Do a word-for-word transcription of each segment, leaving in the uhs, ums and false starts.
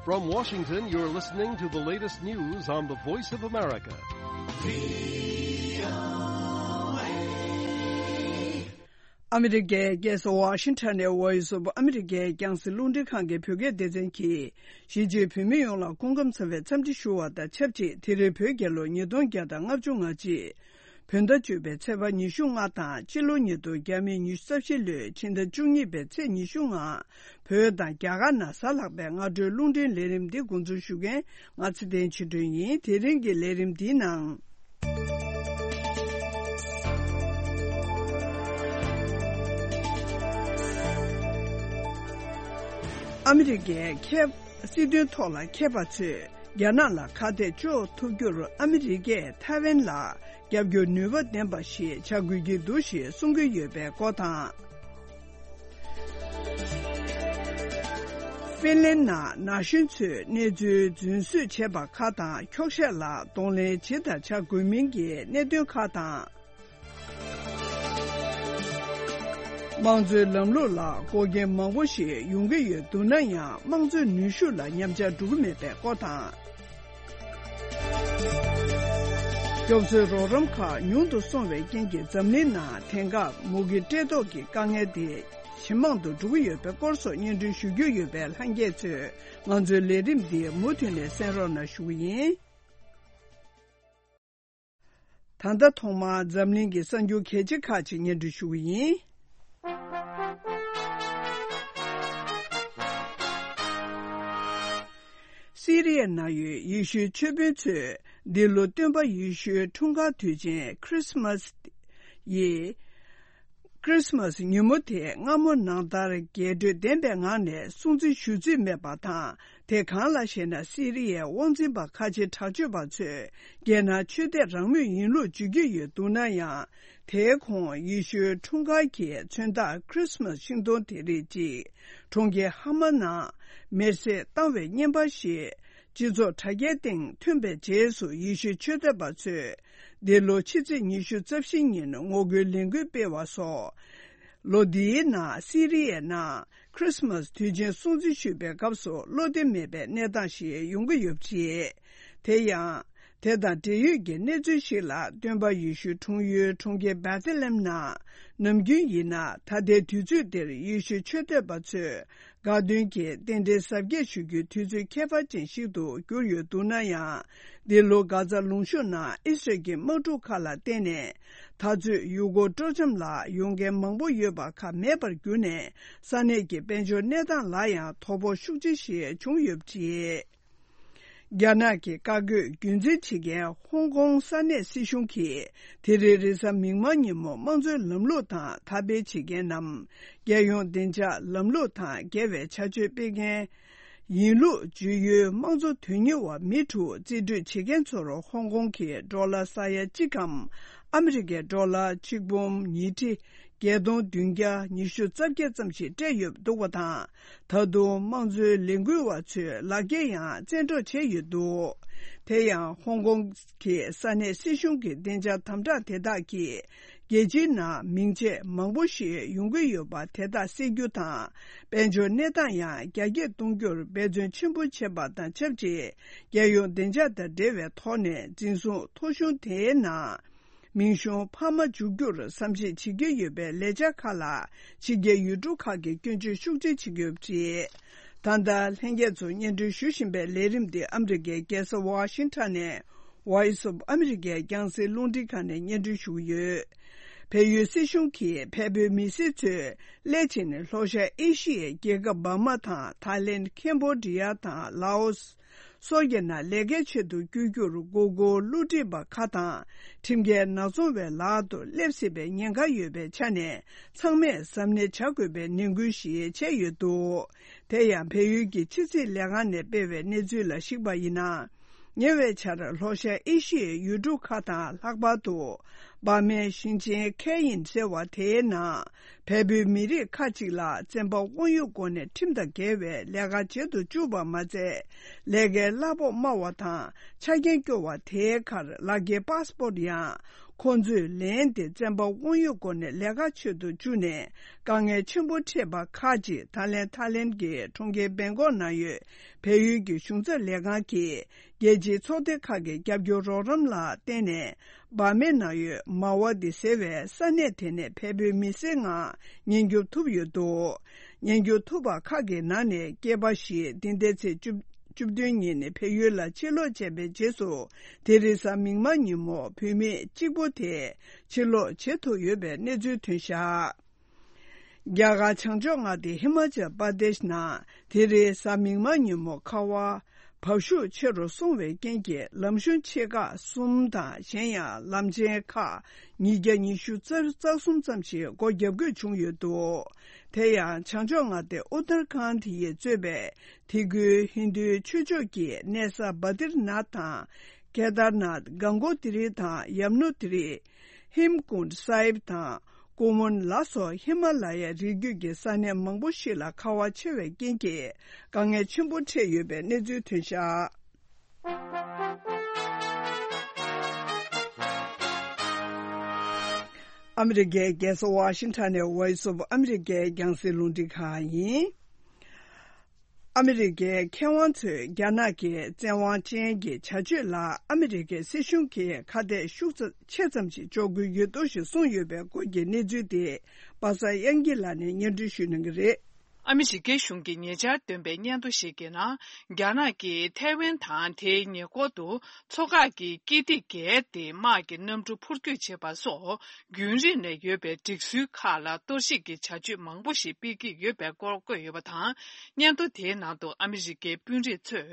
From Washington, you're listening to the latest news on the Voice of America. ཨ་མི་རི་ཀའི་རྒྱལ་ས་ཝ་ཤིང་ཊོན་ནས་Voice of America རྒྱང་སྲིང་རླུང་འཕྲིན་ཁང་གི་བོད་སྐད་སྡེ་ཚན་གྱིས་གཞིས་བྱེས་བོད་མི་ཡོངས་ལ་སྐུ་ཁམས་བཟང་བའི་འཚམས་འདྲི་ཞུ་བ་དང་ཆབས་ཅིག་དེ་རིང་བོད་རྒྱལ་ལོ་ཉིས་སྟོང་བརྒྱ་དང་ལྔ་བཅུ་ང་གཅིག་བོད་ཟླ་བཅུ་པའི་ཚེས་པ་ཉི་ཤུ་ལྔ་དང་སྤྱི་ལོ་ཉིས་སྟོང་ཉི་ཤུ་རྩ་བཞི་ལོའི་ཕྱི་ཟླ་བཅུ་གཉིས་པའི་ཚེས་ཉི་ཤུ་ལྔ། བོད་དང་རྒྱ་གར་ནང་གཟའ་ལྷག་པའི་སྔ་དྲོའི་རླུང་འཕྲིན་ལས་རིམ་འདི་འགོ་འཛུགས་ཞུ་མཁན་ང་ཚེ་བརྟན་ཆོས་སྒྲོན་ཡིན། དེ་རིང་གི་ལས་རིམ་འདིའི་ནང་། ཨ་མི་རི་ཀའི་ཁྱད་སྲིད་དོན་ཐོག་ལ་མཁས་པ་ཚོས་རྒྱ་ནག་ལ་ཁ་གཏད་གཅོག་ཐུབ་རྒྱུར་ཨ་མི་རི་ཀས་ཐའེ་ཝན་ལ་རྒྱབ་སྐྱོར་ནུས་པ་ལྡན་པ་ཞིག་བྱ་དགོས་ཀྱི་འདུག་ཞེས་གསུང་གི་ཡོད་པའི་སྐོར་དང་། ཧྥིན་ལན་ནང་ན་གཞོན་ཚོས་གནས་ཚུལ་རྫུན་བཟོས་བྱས་པ་ཁག་དང་འཁྱོག་བཤད་ལ་གདོང་ལེན་ཇི་ལྟར་བྱ་དགོས་མིན་གྱི་གནད་དོན་ཁག་དང་། དམངས་གཙོའི་ལམ་ལུགས་ལ་འགོག་རྐྱེན་མང་པོ་ཞིག་ཡོང་གི་ཡོད་འདུག་ན་ཡང་དམངས་གཙོའི་ནུས་ཤུགས་ལ་ཉམས་ཆག་འགྲོ་གི་མེད་པའི་སྐོར་དང་། རྒྱ་མཚོའི་རོགས་རམ་ཁག་ཉུང་དུ་སོང་བའི་རྐྱེན་གྱིས་འཛམ་གླིང་ནང་དེང་སྐབས་མུ་གེ་བཀྲེས་ལྟོགས་ཀྱི་དཀའ་ངལ་དེ་ཇེ་མང་དུ་འགྲོ་གི་ཡོད་པའི་སྐོར་སོགས་སྙན་སྒྲོན་ཞུ་རྒྱུ་ཡོད་པས་ལྷན་རྒྱས་ཚོས་ང་ཚོའི་ལས་རིམ་འདི་མུ་མཐུད་ནས་གསན་རོགས་གནང་ཞུ་གི་ཡིན། ད་ལྟ་ཐོག་མར་འཛམ་གླིང་གི་གསར་འགྱུར་གལ་ཆེ་ཁག་ཅིག་སྙན་སྒྲོན་ཞུ་གི་ཡིན། སི་རི་ཡའི་ནང་ཡོད་ཡེ་ཤུའི་ཆོས་དཔོན་ཚོས་འདི་ལོ་སྟོན་པ་ཡེ་ཤུའི་འཁྲུངས་སྐར་དུས་ཆེན་ཁྲི་སི་མ་སི་ཡི། ཁྲི་སི་མ་སི་ཉིན་མོ་དེ་སྔ་མོ་ནང་ལྟར་རྒྱས་སྤྲོས་ལྡན་པའི་ངང་ནས་སྲུང་བརྩི་ཞུ་རྩིས་མེད་པ་དང་། དེ་གང་ལགས་ཤེ་ན། སི་རི་ཡའི་དབང་འཛིན་པ་ཁ་ཆེ་དྲག་སྤྱོད་པ་ཚོས་རྒྱལ་ནང་ཆོས་དད་རང་མོས་ཡིན་ལུགས་བརྗོད་ཀྱི་ཡོད་འདུག་ན་ཡང་། དེའི་ཁོངས་ཡེ་ཤུའི་འཁྲུངས་སྐར་གྱི་མཚོན་རྟགས་ཁྲི་སི་མ་སི་ཤིང་སྡོང་དེ་རིགས་ཅིག་གྲོང་ཁྱེར་ཧ་མ་ནང་མེར་སྲེག་བཏང་བའི་བརྙན་པར་ཞིག་སྤྱི་ཚོགས་དྲ་རྒྱའི་སྟེང་ཐོན་པའི་རྗེས་སུ། ཡེ་ཤུའི་ཆོས་དད་པ་ཚོས་འདི་ལོ་ཕྱི་ཚེས་ཉི་ཤུ་རྩ་བཞི་ཉིན་ངོ་རྒོལ་ལས་འགུལ་སྤེལ་བ་སོགས། ལོ་འདིའི་ནང་སི་རི་ཡའི་ནང་ཁྲི་སི་མ་སི་དུས་ཆེན་སྲུང་བརྩི་ཞུས་པའི་སྐབས་སུ་བློ་བདེ་མེད་པའི་གནས་སྟངས་ཤིག་ཡོང་གི་ཡོད་པ་རེད། དེ་ཡང་། དེ་དང་འབྲེལ་ཡོད་ཀྱི་གནས་ཚུལ་ཞིག་ལ། སྟོན་པ་ཡེ་ཤུ་འཁྲུངས་ཡུལ་གྲོང་ཁྱེར་བེ་ཐེ་ལེམ་ནང་ནམ་རྒྱུན་ཡིན་ན་ད་ལྟའི་དུས་ཚོད་འདིར་ཡེ་ཤུའི་ཆོས་དད་པ་ཚོས་དགའ་སྟོན་གྱི་རྟེན་འབྲེལ་གཟབ་རྒྱས་ཞུ་རྒྱུའི་དུས་ཚོད་ཁྱད་པར་ཅན་ཞིག་ཏུ་གྱུར་ཡོད་འདུག་ན་ཡང་། འདི་ལོ་གྷ་ཛ་ལུང་གཤོང་ནང་ཨི་སི་རལ་གྱི་དམག་འཁྲུག་ཁག་ལ་བརྟེན་ནས། ད་ཚོད་ཡུལ་སྐོར་སྤྲོ་འཆམ་ལ་ཡོང་མཁན་མང་པོ་ཡོད་པ་ཁག་མེད་པར་གྱུར་ནས། ས་གནས་ཀྱི་དཔལ་འབྱོར་གནས་སྟངས་ལ་ཡང་དོ་ཕོག་ཤུགས་ཆེ་ཞིག་བྱུང་ཡོད་པ་རེད། རྒྱ་ནག་གི་བཀའ་བཀོད་རྒྱུན་འཛིན་བྱེད་མཁན་ཧོང་ཀོང་ས་གནས་སྲིད་གཞུང་གིས་དེ་རིང་རེས་གཟའ་མིག་དམར་ཉིན་མོ་དམངས་གཙོའི་ལམ་ལུགས་དང་འཐབ་འབད་བྱེད་མཁན་ནམ། རྒྱལ་ཡོངས་བདེ་འཇགས་ལམ་ལུགས་དང་འགལ་བའི་བྱ་སྤྱོད་སྤེལ་མཁན་ཡིན་ལུགས་བརྗོད་ཡུལ་དམངས་གཙོ་དོན་གཉེར་བ་མི་དྲུག་རྩིས་སྤྲོད་བྱེད་མཁན་ཚོར་ཧོང་ཀོང་གི་ཌོ་ལར་ས་ཡ་གཅིག་གམ། ཨ་མི་རི་ཀའི་ཌོ་ལར་གཅིག་འབུམ་ཉིས་ཁྲི་བརྒྱད་སྟོང་བདུན་བརྒྱ་ཉི་ཤུ་རྩ་བརྒྱད་ཙམ་ཞིག་སྤྲད་ཡོད་འདུག་པ་དང་། ད་དུང་དམངས་གཙོའི་ལས་འགུལ་བ་ཚོས་ལག་འཁྱེར་ཡང་བཙན་འཕྲོག་བྱས་ཡོད་འདུག་དེ་ཡང་ཧོང་ཀོང་གི་ས་གནས་སྲིད་གཞུང་གི་བདེ་འཇགས་དམ་དྲག་དེ་དག་གིས། རྒྱལ་སྤྱིའི་ནང་མིང་ཆད་མང་པོ་ཞིག་ཡོང་གི་ཡོད་པ་དེ་དག་སེལ་རྒྱུ་དང་། དཔལ་འབྱོར་གནས་སྟངས་ཡང་རྒྱ་སྐྱེད་གཏོང་རྒྱུར་འབད་བརྩོན་ཆེན་པོ་བྱས་པ་དང་ཆབས་ཅིག་རྒྱལ་ཡོངས་བདེ་འཇགས་དང་འབྲེལ་བའི་ཐོག་ནས་འཛིན་བཟུང་ཐོ་གཞུང་དེའི་ནང་། མིང་གཞུང་འཕར་མ་འཇུག་རྒྱུར་བསམ་གཞིག་བྱེད་ཀྱི་ཡོད་པའི་ལས་འཆར་ཁག་ལ་ཕྱི་རྒྱལ་ཡུལ་གྲུ་ཁག་གིས་སྐྱོན་བརྗོད་ཤུགས་ཆེ་བྱེད་ཀྱི་ཡོད་པ་རེད། ད་ལྟ་ལྷན་རྒྱས་ཚོར་སྙན་སྒྲོན་ཞུ་བཞིན་པའི་ལས་རིམ་འདི་ཨ་མི་རི་ཀའི་རྒྱལ་ས་ཝ་ཤིང་ཊོན་ནས། Voice of America རྒྱང་སྲིང་རླུང་འཕྲིན་ཁང་ནས་སྙན་སྒྲོན་ཞུ་གི་ཡོད། བལ་ཡུལ་སྲིད་གཞུང་གིས་བལ་པོའི་མི་སེར་ཚོས་སླད་ཕྱིན་ལྷོ་ཤར་ཨེ་ཤི་ཡའི་རྒྱལ་ཁབ་འབར་མ་དང་ཐའི་ལེན། ཁེམ་བྷོ་ཌི་ཡ་དང་ལའོ་སི་སོགས་ཀྱི་ནང་ལས་ཀའི་ཆེད་དུ་བསྐྱོད་རྒྱུར་མགོ་སྐོར་བསླུ་བྲིད་པ་ཁག་དང་ཁྲིམས་འགལ་ནག་ཚོང་བའི་ལག་ཏུ་སླེབས་སྲིད་པའི་ཉེན་ཁ་ཡོད་པའི་ཆ་ནས་ཚང་མས་གཟབ་ནན་བྱ་དགོས་པའི་ནན་སྐུལ་ཞིག་བྱས་ཡོད་འདུག་དེ་ཡང་བལ་ཡུལ་གྱི་ཕྱི་སྲིད་ལས་ཁང་ནས་སྤེལ་བའི་གནས་ཚུལ་ལ་གཞིགས་པ་ཡིན་ན། ཉེ་བའི་ཆར་ལྷོ་ཤར་ཨེ་ཤི་ཡའི་ཡུལ་གྲུ་ཁག་དང་ལྷག་པར་དུ་འབར་མའི་ཞིང་ཆེན་ཁེ་ཡིན་ཟེར་བ་དེའི་ནང་བལ་པོའི་མི་རིགས་ཁག་ཅིག་ལ་བཙན་པ་དབང་ཡོད་སྒོ་ནས་ཁྲིམས་དང་འགལ་བའི་ལས་ཀ་བྱེད་དུ་བཅུག་པ་མ་ཚད། ལས་ཀའི་གླ་ཕོགས་དམའ་བ་དང་ཆ་རྐྱེན་སྐྱོ་བ་དེའི་ཁར་ལག་འཁྱེར་པཱ་སི་པོར་ཡང་ ཁོང་ཚོས་ལན་དེ་བཙན་པ་དབང་ཡོད་སྒོ་ནས་ལས་ཀ་བྱེད་དུ་བཅུག་ནས། དཀའ་ངལ་ཆེན་པོ་འཕྲད་པ་ཁག་ཅིག་ད་ལན་ཐའི་ལེན་གྱི་གྲོང་ཁྱེར་བེང་ཀོག་ནང་ཡོད་བལ་ཡུལ་གྱི་གཞུང་ཚབ་ལས་ཁང་གིས། རྒྱལ་སྤྱིའི་ཚོགས་སྡེ་ཁག་གི་རྒྱབ་སྐྱོར་རོགས་རམ་ལ་བརྟེན་ནས། འབར་མའི་ནང་ཡོད་མ་ཝ་ཏི་ཟེར་བའི་ས་གནས་དེ་ནས་བལ་པོའི་མི་སེར་ལྔ་ཉེན་སྐྱོབ་ཐུབ་ཡོད་འདུག་ཉེན་སྐྱོབ་ཐུབ་པ་ཁག་གི་ནང་ནས་སྐྱེས་པ་ཞིག་འདི་ཟླའི་ཚེས་བཅུ་བཅུ་བདུན་ཉིན་ནས་བལ་ཡུལ་ལ་ཕྱིར་ལོག་བྱས་པའི་རྗེས་སུ། དེ་རིང་གཟའ་མིག་དམར་ཉིན་མོ་བུད་མེད་གཅིག་པོ་དེ་ཕྱིར་ལོག་བྱེད་ཐུབ་ཡོད་པའི་གནས་ཚུལ་ཐོན་བཞག་རྒྱ་གར་བྱང་ཕྱོགས་མངའ་སྡེ་ཧི་མ་ཅལ་པར་དེཤ་ནང་དེ་རིང་གཟའ་མིག་དམར་ཉིན་མོ་ཁ་བ་བབས་ཤུགས་ཆེ་རུ་སོང་བའི་རྐྱེན་གྱིས། ལམ་གཞུང་ཆེ་ཁག་གསུམ་དང་། གཞན་ཡང་ལམ་ཆེན་ཁག་ཉིས་བརྒྱ་ཉི་ཤུ་རྩ་གསུམ་ཙམ་ཞིག་སྒོ་བརྒྱབ་དགོས་བྱུང་ཡོད་འདུག་དེ་ཡང་བྱང་ཕྱོགས་མངའ་སྡེ་ཨུ་ཏར་ཁཱན་དེ་ཡིས་གཙོས་པའི་དེ་ཁུལ་ཧིན་རྡུའི་ཆོས་ཕྱོགས་ཀྱི་གནས་ས་བ་དིར་ནཱཐ་དང་། ཀེ་དར་ནཱཐ། གང་གོ་ཏི་རི་དང་ཡམ་ནོ་ཏི་རི། ཧེམ་ཀུནཌ་སཱ་ཧིབ་དང་། ཀུ་མུན་ལ་སོགས་ཧི་མ་ལ་ཡའི་རི་རྒྱུད་ཀྱི་ས་གནས་མང་པོ་ཞིག་ལ་ཁ་བ་ཆེ་བའི་རྐྱེན་གྱིས། དཀའ་ངལ་ཆེན་པོ་འཕྲད་ཡོད་པའི་གནས་ཚུལ་ཐོན་བཞག་ཨ་མི་རི་ཀའི་རྒྱལ་ས་ཝ་ཤིང་ཊོན་ནས་Voice of America རྒྱང་སྲིང་རླུང་འཕྲིན་ཁང་ཡིན། ཨ་མི་རི་ཀའི་མཁས་དབང་ཚོས་རྒྱ་ནག་གི་བཙན་དབང་ཅན་གྱི་བྱ་སྤྱོད་ལ་ཨ་མི་རི་ཀའི་སྲིད་གཞུང་གིས་ཁ་གཏད་ཤུགས་ཆེ་ཙམ་ཞིག་གཅོག་དགོས་ཡོད་འདུག་ཞེས་གསུངས་ཡོད་པའི་སྐོར་གྱི་གནས་ཚུལ་དེ་པ་སངས་དབྱངས་སྐྱིད་ལགས་ནས་སྙན་སྒྲོན་ཞུ་གནང་གི་རེད། ཨ་མི་རི་ཀའི་གཞུང་གིས་ཉེ་ཆར་བཏོན་པའི་སྙན་ཐོ་ཞིག་གི་ནང་། རྒྱ་ནག་གིས་ཐའེ་ཝན་དང་དེའི་ཉེ་འཁོར་དུ་མཚོ་འགག་གི་དཀྱིལ་སྒྲིག་བརྒལ་ཏེ་དམག་གི་གནམ་གྲུ་འཕུར་སྐྱོད་བྱེད་པ་སོགས། རྒྱུན་རིང་ནས་ཡོད་པའི་སྒྲིག་སྲོལ་ཁག་ལ་གཏོར་བཤིག་གི་བྱ་སྤྱོད་མང་པོ་ཞིག་སྤེལ་གྱི་ཡོད་པའི་སྐོར་བཀོད་ཡོད་པ་དང་། སྙན་ཐོ་དེའི་ནང་དུ་ཨ་མི་རི་ཀའི་དཔོན་རིགས་ཚོས་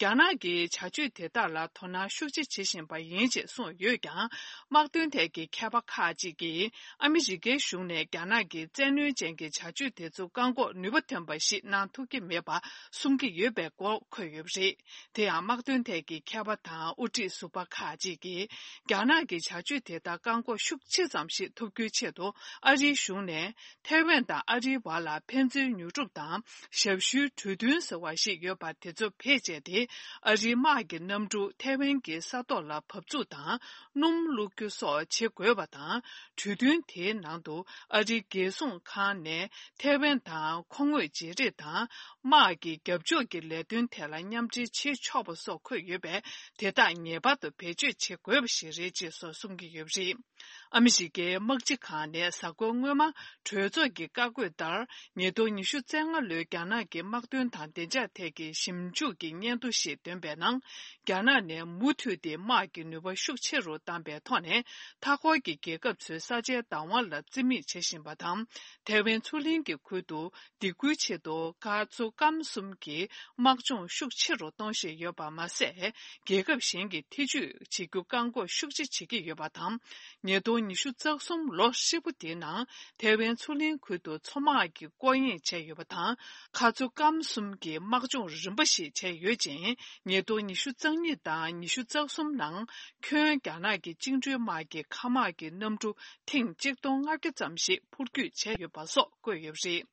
རྒྱ་ནག་གི་བྱ་སྤྱོད་དེ་དག་ལ་དོ་སྣང་ཤུགས་ཆེ་བྱེད་བཞིན་པ་ཡིན་ཅེས་གསུངས་ཡོད་ཀྱང་། དམག་དོན་ཐད་ཀྱི་མཁས་པ་ཁག་ཅིག་གིས་ཨ་མི་རི་ཀའི་གཞུང་ནས་རྒྱ་ནག་གི་བཙན་གནོན་ཅན་གྱི་བྱ་སྤྱོད་དེ་ཚོ་བཀག་འགོག་ནུས་པ་ཐོན་པ་ཞིག་གནང་ཐུབ་ཀྱི་མེད་པ་གསུང་གི་ཡོད་པའི་སྐོར་འཁོད་ཡོད་པ་རེད། དེ་ཡང་དམག་དོན་ཐད་ཀྱི་མཁས་པ་དང་དབུ་ཁྲིད་ཟུར་པ་ཁག་ཅིག་གིས། རྒྱ་ནག་གི་བྱ་སྤྱོད་དེ་དག་བཀག་འགོག་ཤུགས་ཆེ་ཙམ་ཞིག་ཐུབ་རྒྱུའི་ཆེད་དུ། ཨ་རིའི་གཞུང་ནས་ཐའེ་ཝན་དང་ཨ་རིའི་བར་ལ་ཕན་ཚུན་ཉོ་སྒྲུབ་དང་ཞབས་ཞུའི་གྲོས་མཐུན་ཟེར་བ་ཞིག་ཡོད་པ་དེ་ཚོ་བེད་སྤྱད་དེ། ཨ་རིའི་དམག་གི་གནམ་གྲུ་ཐའེ་ཝན་གྱི་ས་ཐོག་ལ་བབས་ཚུགས་དང་སྣུམ་བླུག་རྒྱུ་སོགས་བྱེད་དགོས་པ་དང་། གྲོས་མཐུན་དེའི་ནང་དུ་ཨ་རིའི་རྒྱལ་སྲུང་ཁང་ནས་ཐའེ་ཝན་དང་མཁོ་དངོས་བརྗེ་རེས་དང་། དམག་གི་རྒྱབ་ཕྱོགས་ཀྱི་ལས་དོན་ཐད་ལ་མཉམ་འབྲེལ་བྱེད་ཆོག་པ་སོགས་འཁོད་ཡོད་པས། དེ་དག་ངེས་པར་དུ་བེད་སྤྱོད་བྱེད་དགོས་པ་ཞིག་རེད་ཅེས་སོགས་གསུང་གི་ཡོད་པ་རེད། ཨ་མི་རི་ཀའི་དམག་སྤྱི་ཁང་ནས་གཟའ་འཁོར་སྔོན་མ་གྲོས་ཚོགས་ཀྱི་བཀའ་བཀོད་ལྟར། ཉིས་སྟོང་ཉི་ཤུ་རྩ་ལྔ་ལོའི་རྒྱ་ནག་གི་དམག་དོན་དང་བདེ་འཇགས་ཐད་ཀྱི་ཞིབ་འཇུག་གི་སྙན་ཐོ་ཞིག་བཏོན་པའི་ནང་། རྒྱ་ནག་ནས་མུ་མཐུད་དེ་དམག་གི་ནུས་པ་ཤུགས་ཆེ་རུ་བཏང་པའི་ཐོག་ནས། མཐའ་འཁོར་གྱི་རྒྱལ་ཁབ་ཚོའི་ས་ཆའི་བདག་དབང་ལ་བརྩི་མེད་བྱེད་བཞིན་པ་དང་། ཐའེ་ཝན་མཚོ་གླིང་གི་ཁུལ་དུ། སྡིགས་སྐུལ་ཆེད་དུ་མཁར་མཚོ་སྐམ་གསུམ་གྱི་དམག་སྦྱོང་ཤུགས་ཆེ་རུ་གཏོང་བཞིན་ཡོད་པ་མ་ཟད། རྒྱལ་ཁབ་གཞན་གྱིས་ཐེ་ཇུས་བྱེད་རྒྱུ་བཀག་འགོག་ཤུགས་ཆེ་བྱེད་ཀྱི་ཡོད་པ་དང་། ཉིས་སྟོང་ཉི་ཤུ་རྩ་གསུམ་ལོ་ཧྲིལ་པོ་དེའི་ནང་ཐའེ་ཝན་མཚོ་གླིང་ཁུལ་དུ་མཚོ་དམག་གི་སྐོར་གཡེང་བྱས་ཡོད་པ་དང་། མཁར་མཚོ་སྐམ་གསུམ་གྱི་དམག་སྦྱོང་རིམ་པ་ཞིག་བྱས་ཡོད་ཅིང་། ཉིས་སྟོང་ཉི་ཤུ་རྩ་གཉིས་དང་ཉི་ཤུ་རྩ་གསུམ་ནང་ཁྱོན་རྒྱ་ནག་གི་བཅིངས་འགྲོལ་དམག་གི་མཁའ་དམག་གི་གནམ་གྲུ་ཐེངས་གཅིག་སྟོང་ལྔ་བརྒྱ་ཙམ་ཞིག་འཕུར་སྐྱོད་བྱས་ཡོད་པ་སོགས་བཀོད་ཡོད་པ་རེད།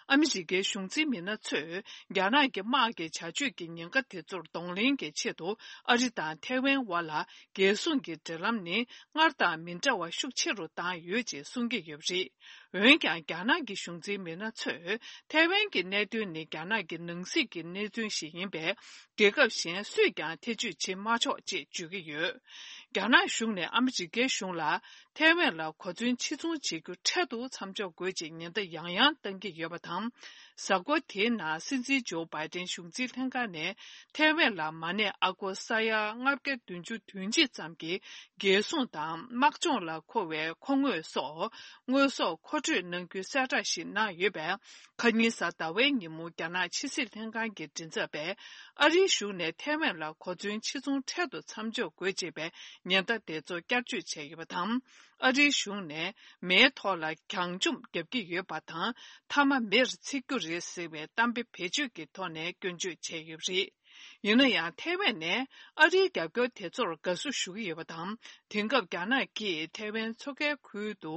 ཨ་མི་རི་ཀའི་གཞུང་འཛིན་མི་སྣ་ཚོས་རྒྱ་ནག་གི་དམག་གི་བྱ་སྤྱོད་ཀྱི་ཉེན་ཁ་དེ་ཚོར་གདོང་ལེན་གྱི་ཆེད་དུ། ཨ་རི་དང་ཐའེ་ཝན་དབར་ལ་རྒྱལ་སྲུང་གི་འབྲེལ་ལམ་ནི་སྔར་དང་མི་འདྲ་བ་ཤུགས་ཆེ་རུ་བཏང་ཡོད་ཅེས་གསུང་གི་ཡོད་པ་རེད། འོན་ཀྱང་། རྒྱ་ནག་གི་གཞུང་འཛིན་མི་སྣ་ཚོས། ཐའེ་ཝན་གྱི་གནད་དོན་ནི་རྒྱ་ནག་གི་ནང་སྲིད་ཀྱི་གནད་དོན་ཞིག་ཡིན་པས། རྒྱལ་ཁབ་གཞན་སུས་ཀྱང་ཐེ་ཇུས་བྱེད་མ་ཆོག་ཅེས་བརྗོད་ཀྱི་ཡོད། རྒྱ་ནག་གཞུང་ནས་ཨ་མི་རི་ཀའི་གཞུང་ལ། ཐའེ་ཝན་ལ་གོ་མཚོན་ཕྱིར་ཚོང་བྱེད་རྒྱུ་འཕྲལ་དུ་མཚམས་འཇོག་དགོས་ཅེས་ཉེན་བརྡ་ཡང་ཡང་བཏང་གི་ཡོད་པ་དང་། གཟའ་འཁོར་དེའི་ནང་སྲིད་འཛིན་ཇོ་བྷའི་ཏན་གཞུང་འཛིན་ལྷན་ཁང་ནས་ཐའེ་ཝན་ལ་མ་ཎི་ཨ་སྒོར་ས་ཡ་ལྔ་བརྒྱ་བདུན་ཅུ་དོན་གཅིག་ཙམ་གྱི་རྒྱལ་སྲུང་དང་དམག་སྦྱོང་ལ་མཁོ་བའི་མཁོ་དངོས་སོགས་དངོས་ཟོག་མཁོ་སྤྲོད་གནང་རྒྱུའི་གསལ་བསྒྲགས་ཤིག་གནང་ཡོད་པས། ཁ་ཉིན་གཟའ་ཟླ་བའི་ཉིན་མོ་རྒྱ་ནག་ཕྱི་སྲིད་ལྷན་ཁང་གི་མགྲིན་ཚབ་པས། ཨ་རིའི་གཞུང་ནས་ཐའེ་ཝན་ལ་གོ་མཚོན་ཕྱིར་ཚོང་འཕྲལ་དུ་མཚམས་འཇོག་དགོས་ཅེས་པའི་ཉེན་བརྡ་དེ་ཚོ་བསྐྱར་བཅོས་བྱས་ཡོད་པ་དང་། ཨ་རིའི་གཞུང་ནས་མེའི་ཐོག་ལ་གྱང་ཆོམ་བརྒྱབ་ཀྱི་ཡོད་པ་དང་། མཐའ་མ་མེར་འཚིག་རྒྱུ་རེད་ཟེར་བའི་གཏམ་དཔེ་བེད་སྤྱོད་ཀྱི་ཐོག་ནས་སྐྱོན་བརྗོད་བྱས་ཡོད་པ་རེད། ཡིན་ན་ཡང་། ཐའེ་ཝན་ནས་ཨ་རིའི་རྒྱབ་སྐྱོར་དེ་ཚོར་དགའ་བསུ་ཞུ་གི་ཡོད་པ་དང་། དེང་སྐབས་རྒྱ་ནག་གིས་ཐའེ་ཝན་མཚོ་ཁའི་ཁུལ་དུ།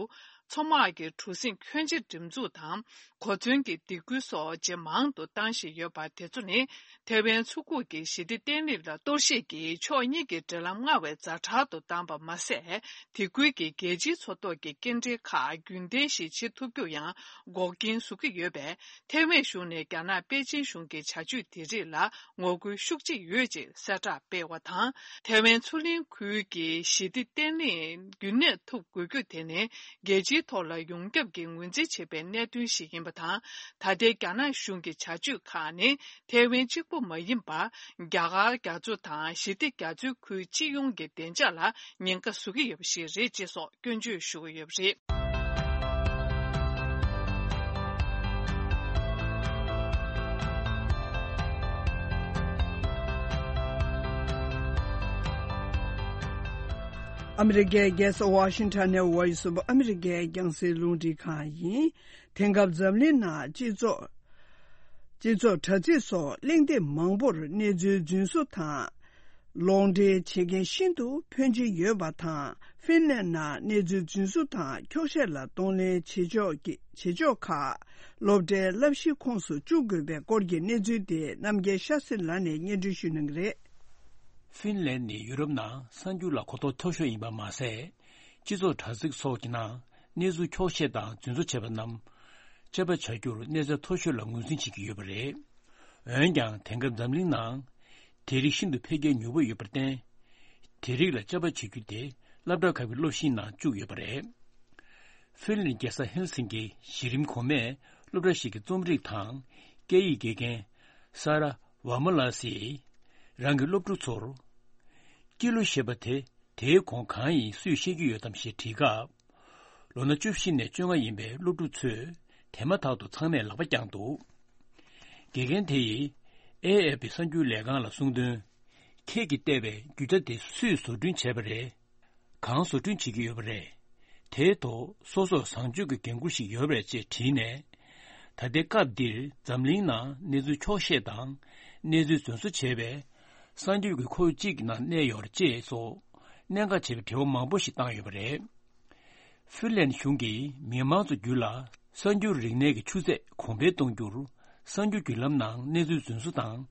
མཚོ་དམག་གི་གྲུ་གཟིངས་ཁྱོན་ཆེ་འགྲེམས་འཛུགས་དང་། གོ་མཚོན་གྱི་སྡེ་ཁུལ་སོགས་ཇེ་མང་དུ་བཏང་བཞིན་ཡོད་པ་དེ་ཚོ་ནི། ཐའེ་ཝན་མཚོ་ཁུག་གི་ཞི་བདེ་བརྟན་ལྷིང་ལ་གཏོར་བཤིག་གིས་ཕྱོགས་གཉིས་ཀྱི་འབྲེལ་ལམ་སྔར་བས་ཛ་དྲག་ཏུ་བཏང་པ་མ་ཟད། དེ་ཁུལ་གྱི་རྒྱལ་སྤྱིའི་མཚོ་ཐོག་གི་སྐྱེལ་འདྲེན་ཁག་རྒྱུན་ལྡན་ཞིག་བྱེད་ཐུབ་རྒྱུར་ཡང་འགོག་རྐྱེན་བཟོ་གི་ཡོད་པས། ཐའེ་ཝན་གཞུང་ནས་རྒྱ་ནག་པེ་ཅིན་གཞུང་གི་བྱ་སྤྱོད་དེ་རིགས་ལ་ངོ་རྒོལ་ཤུགས་ཆེ་ཡོད་ཅེས་གསལ་བསྒྲགས་སྤེལ་བ་དང་། ཐའེ་ཝན་མཚོ་གླིང་ཁུལ་གྱི་ཞི་བདེ་བརྟན་ལྷིང་རྒྱུན་གནས་ཐུབ་དགོས་རྒྱུ་དེ་ནི། རྒྱལ་སྤྱིའི་ཐོག་ལ་ཡོངས་ཁྱབ་ཀྱིས་ངོས་འཛིན་བྱེད་པའི་གནད་དོན་ཞིག་ཡིན་པ་དང་། ད་ལྟའི་རྒྱ་ནག་གཞུང་གི་བྱ་སྤྱོད་ཁག་ནི། ཐའེ་ཝན་གཅིག་པུ་མ་ཡིན་པར། རྒྱ་གར་རྒྱ་མཚོ་དང་ཞི་བདེ་རྒྱ་མཚོའི་ཁུལ་སྤྱི་ཡོངས་ཀྱི་བདེ་འཇགས་ལ་ཉེན་ཁ་བཟོ་གི་ཡོད་པ་ཞིག་རེད་ཅེས་སོགས་སྐྱོན་བརྗོད་ཞུ་གི་ཡོད་པ་རེད། ཨ་མི་རི་ཀའི་རྒྱལ་ས་ཝ་ཤིང་ཊོན་ནས་Voice of America་རྒྱང་སྲིང་རླུང་འཕྲིན་ཁང་ཡིན། དེང་སྐབས་འཛམ་གླིང་ནང་སྤྱི་ཚོགས། སྤྱི་ཚོགས་དྲ་ཚིགས་སོགས་གླེང་སྟེགས་མང་པོར་གནས་ཚུལ་རྫུན་བཟོ་དང་། ལོག་འགྲེལ་བྱེད་མཁན་ཤིན་ཏུ་ཕོན་ཆེན་ཡོད་པ་དང་། ཧྥིན་ལན་ནང་གནས་ཚུལ་རྫུན་བཟོ་དང་འཁྱོག་བཤད་ལ་གདོང་ལེན་བྱེད་ཕྱོགས་ཀྱི་བྱེད་ཕྱོགས་ཁག་སློབ་གྲྭའི་བསླབ་གཞིའི་ཁོངས་སུ་བཅུག་དགོས་པའི་སྐོར་གྱི་གནས་ཚུལ་དེ་རྣམ་རྒྱལ་ཤཱ་སྲི་ལགས་ནས་སྙན་སྒྲོན་ཞུ་གནང་གི་རེད། ཧྥིན་ལན་ནི་ཡུ་རོབ་ནང་གསར་འགྱུར་ལ་གོ་རྟོགས་མཐོ་ཤོས་ཡིན་པ་མ་ཟད། སྤྱི་ཚོགས་དྲ་ཚིགས་སོགས་ཀྱི་ནང་གནས་ཚུལ་འཁྱོག་བཤད་དང་རྫུན་བཟོ་བྱས་པ་རྣམས་དཔྱད་པ་བྱ་རྒྱུར་གནས་ཚད་མཐོ་ཤོས་ལ་ངོས་འཛིན་བྱེད་ཀྱི་ཡོད་པ་རེད། འོན་ཀྱང་དེང་སྐབས་འཛམ་གླིང་ནང་དེ་རིགས་ཤིན་ཏུ་འཕེལ་རྒྱས་མྱུར་པོ་ཡོད་པར་བརྟེན། དེ་རིགས་ལ་དཔྱད་པ་བྱེད་རྒྱུ་དེ་སློབ་གྲྭ་ཁག་གི་སློབ་གཞིའི་ནང་བཅུག་ཡོད་པ་རེད། ཧྥིན་ལན་རྒྱལ་ས་ཧེལ་སིང་ཀི་གཞི་རིམ་གོང་མའི་སློབ་གྲྭ་ཞིག་གི་རྩོམ་རིག་དང་སྐད་ཡིག་དགེ་རྒན་ས་ར་ཝ་མ་ལ་སིས་རང་གི་སློབ་ཕྲུག་ཚོར། སྐྱེས་ལོ་ཞེས་པ་དེ་དེའི་གོང་གང་ཡིན་སུས་ཤེས་ཀྱི་ཡོད་དམ་ཞེས་དྲིས་སྐབས། ལོ་ན་བཅུ་བཞི་ནས་བཅོ་ལྔ་ཡིན་པའི་སློབ་ཕྲུག་ཚོས་དེ་མ་ཐག་ཏུ་ཚང་མས་ལག་པ་བརྐྱངས་འདུག་དགེ་རྒན་དེ་ཡིས་ཨེ་ཨེ་ཕི་གསར་འགྱུར་ལས་ཁང་ལ་གསུངས་དོན། ཁྱེད་ཀྱིས་བལྟས་པའི་རྒྱུ་ཆ་དེ་སུས་བཟོ་སྐྲུན་བྱས་པ་རེད། གང་བཟོ་སྐྲུན་བྱེད་ཀྱི་ཡོད་པ་རེད། དེའི་ཐོག་སོ་སོར་བཟང་སྤྱོད་ཀྱི་འགན་འཁུར་ཞིག་ཡོད་པ་རེད་ཅེས་དྲིས་ནས། ད་ལྟའི་སྐབས་འདིར་འཛམ་གླིང་ནང་གནས་ཚུལ་འཁྱོག་བཤད་དང་གནས་ཚུལ་རྫུན་བཟོ་བྱས་པའི་གསར་འགྱུར་གྱི་ཁོར་ཡུག་ཅིག་གི་ནང་གནས་ཡོད་རེད་ཅེས་སོགས་གནད་འགག་ཆེ་བའི་དྲི་བ་མང་པོ་ཞིག་བཏང་ཡོད་པ་རེད། ཧྥིན་ལན་གཞུང་གིས་མི་མང་ཚོ་བརྒྱུད་ལ་གསར་འགྱུར་རིག་གནས་ཀྱི་ཆུ་ཚད་གོང་འཕེལ་གཏོང་རྒྱུར། གསར་འགྱུར་བརྒྱུད་ལམ་ནང་གནས་ཚུལ་རྫུན་བཟོ་དང་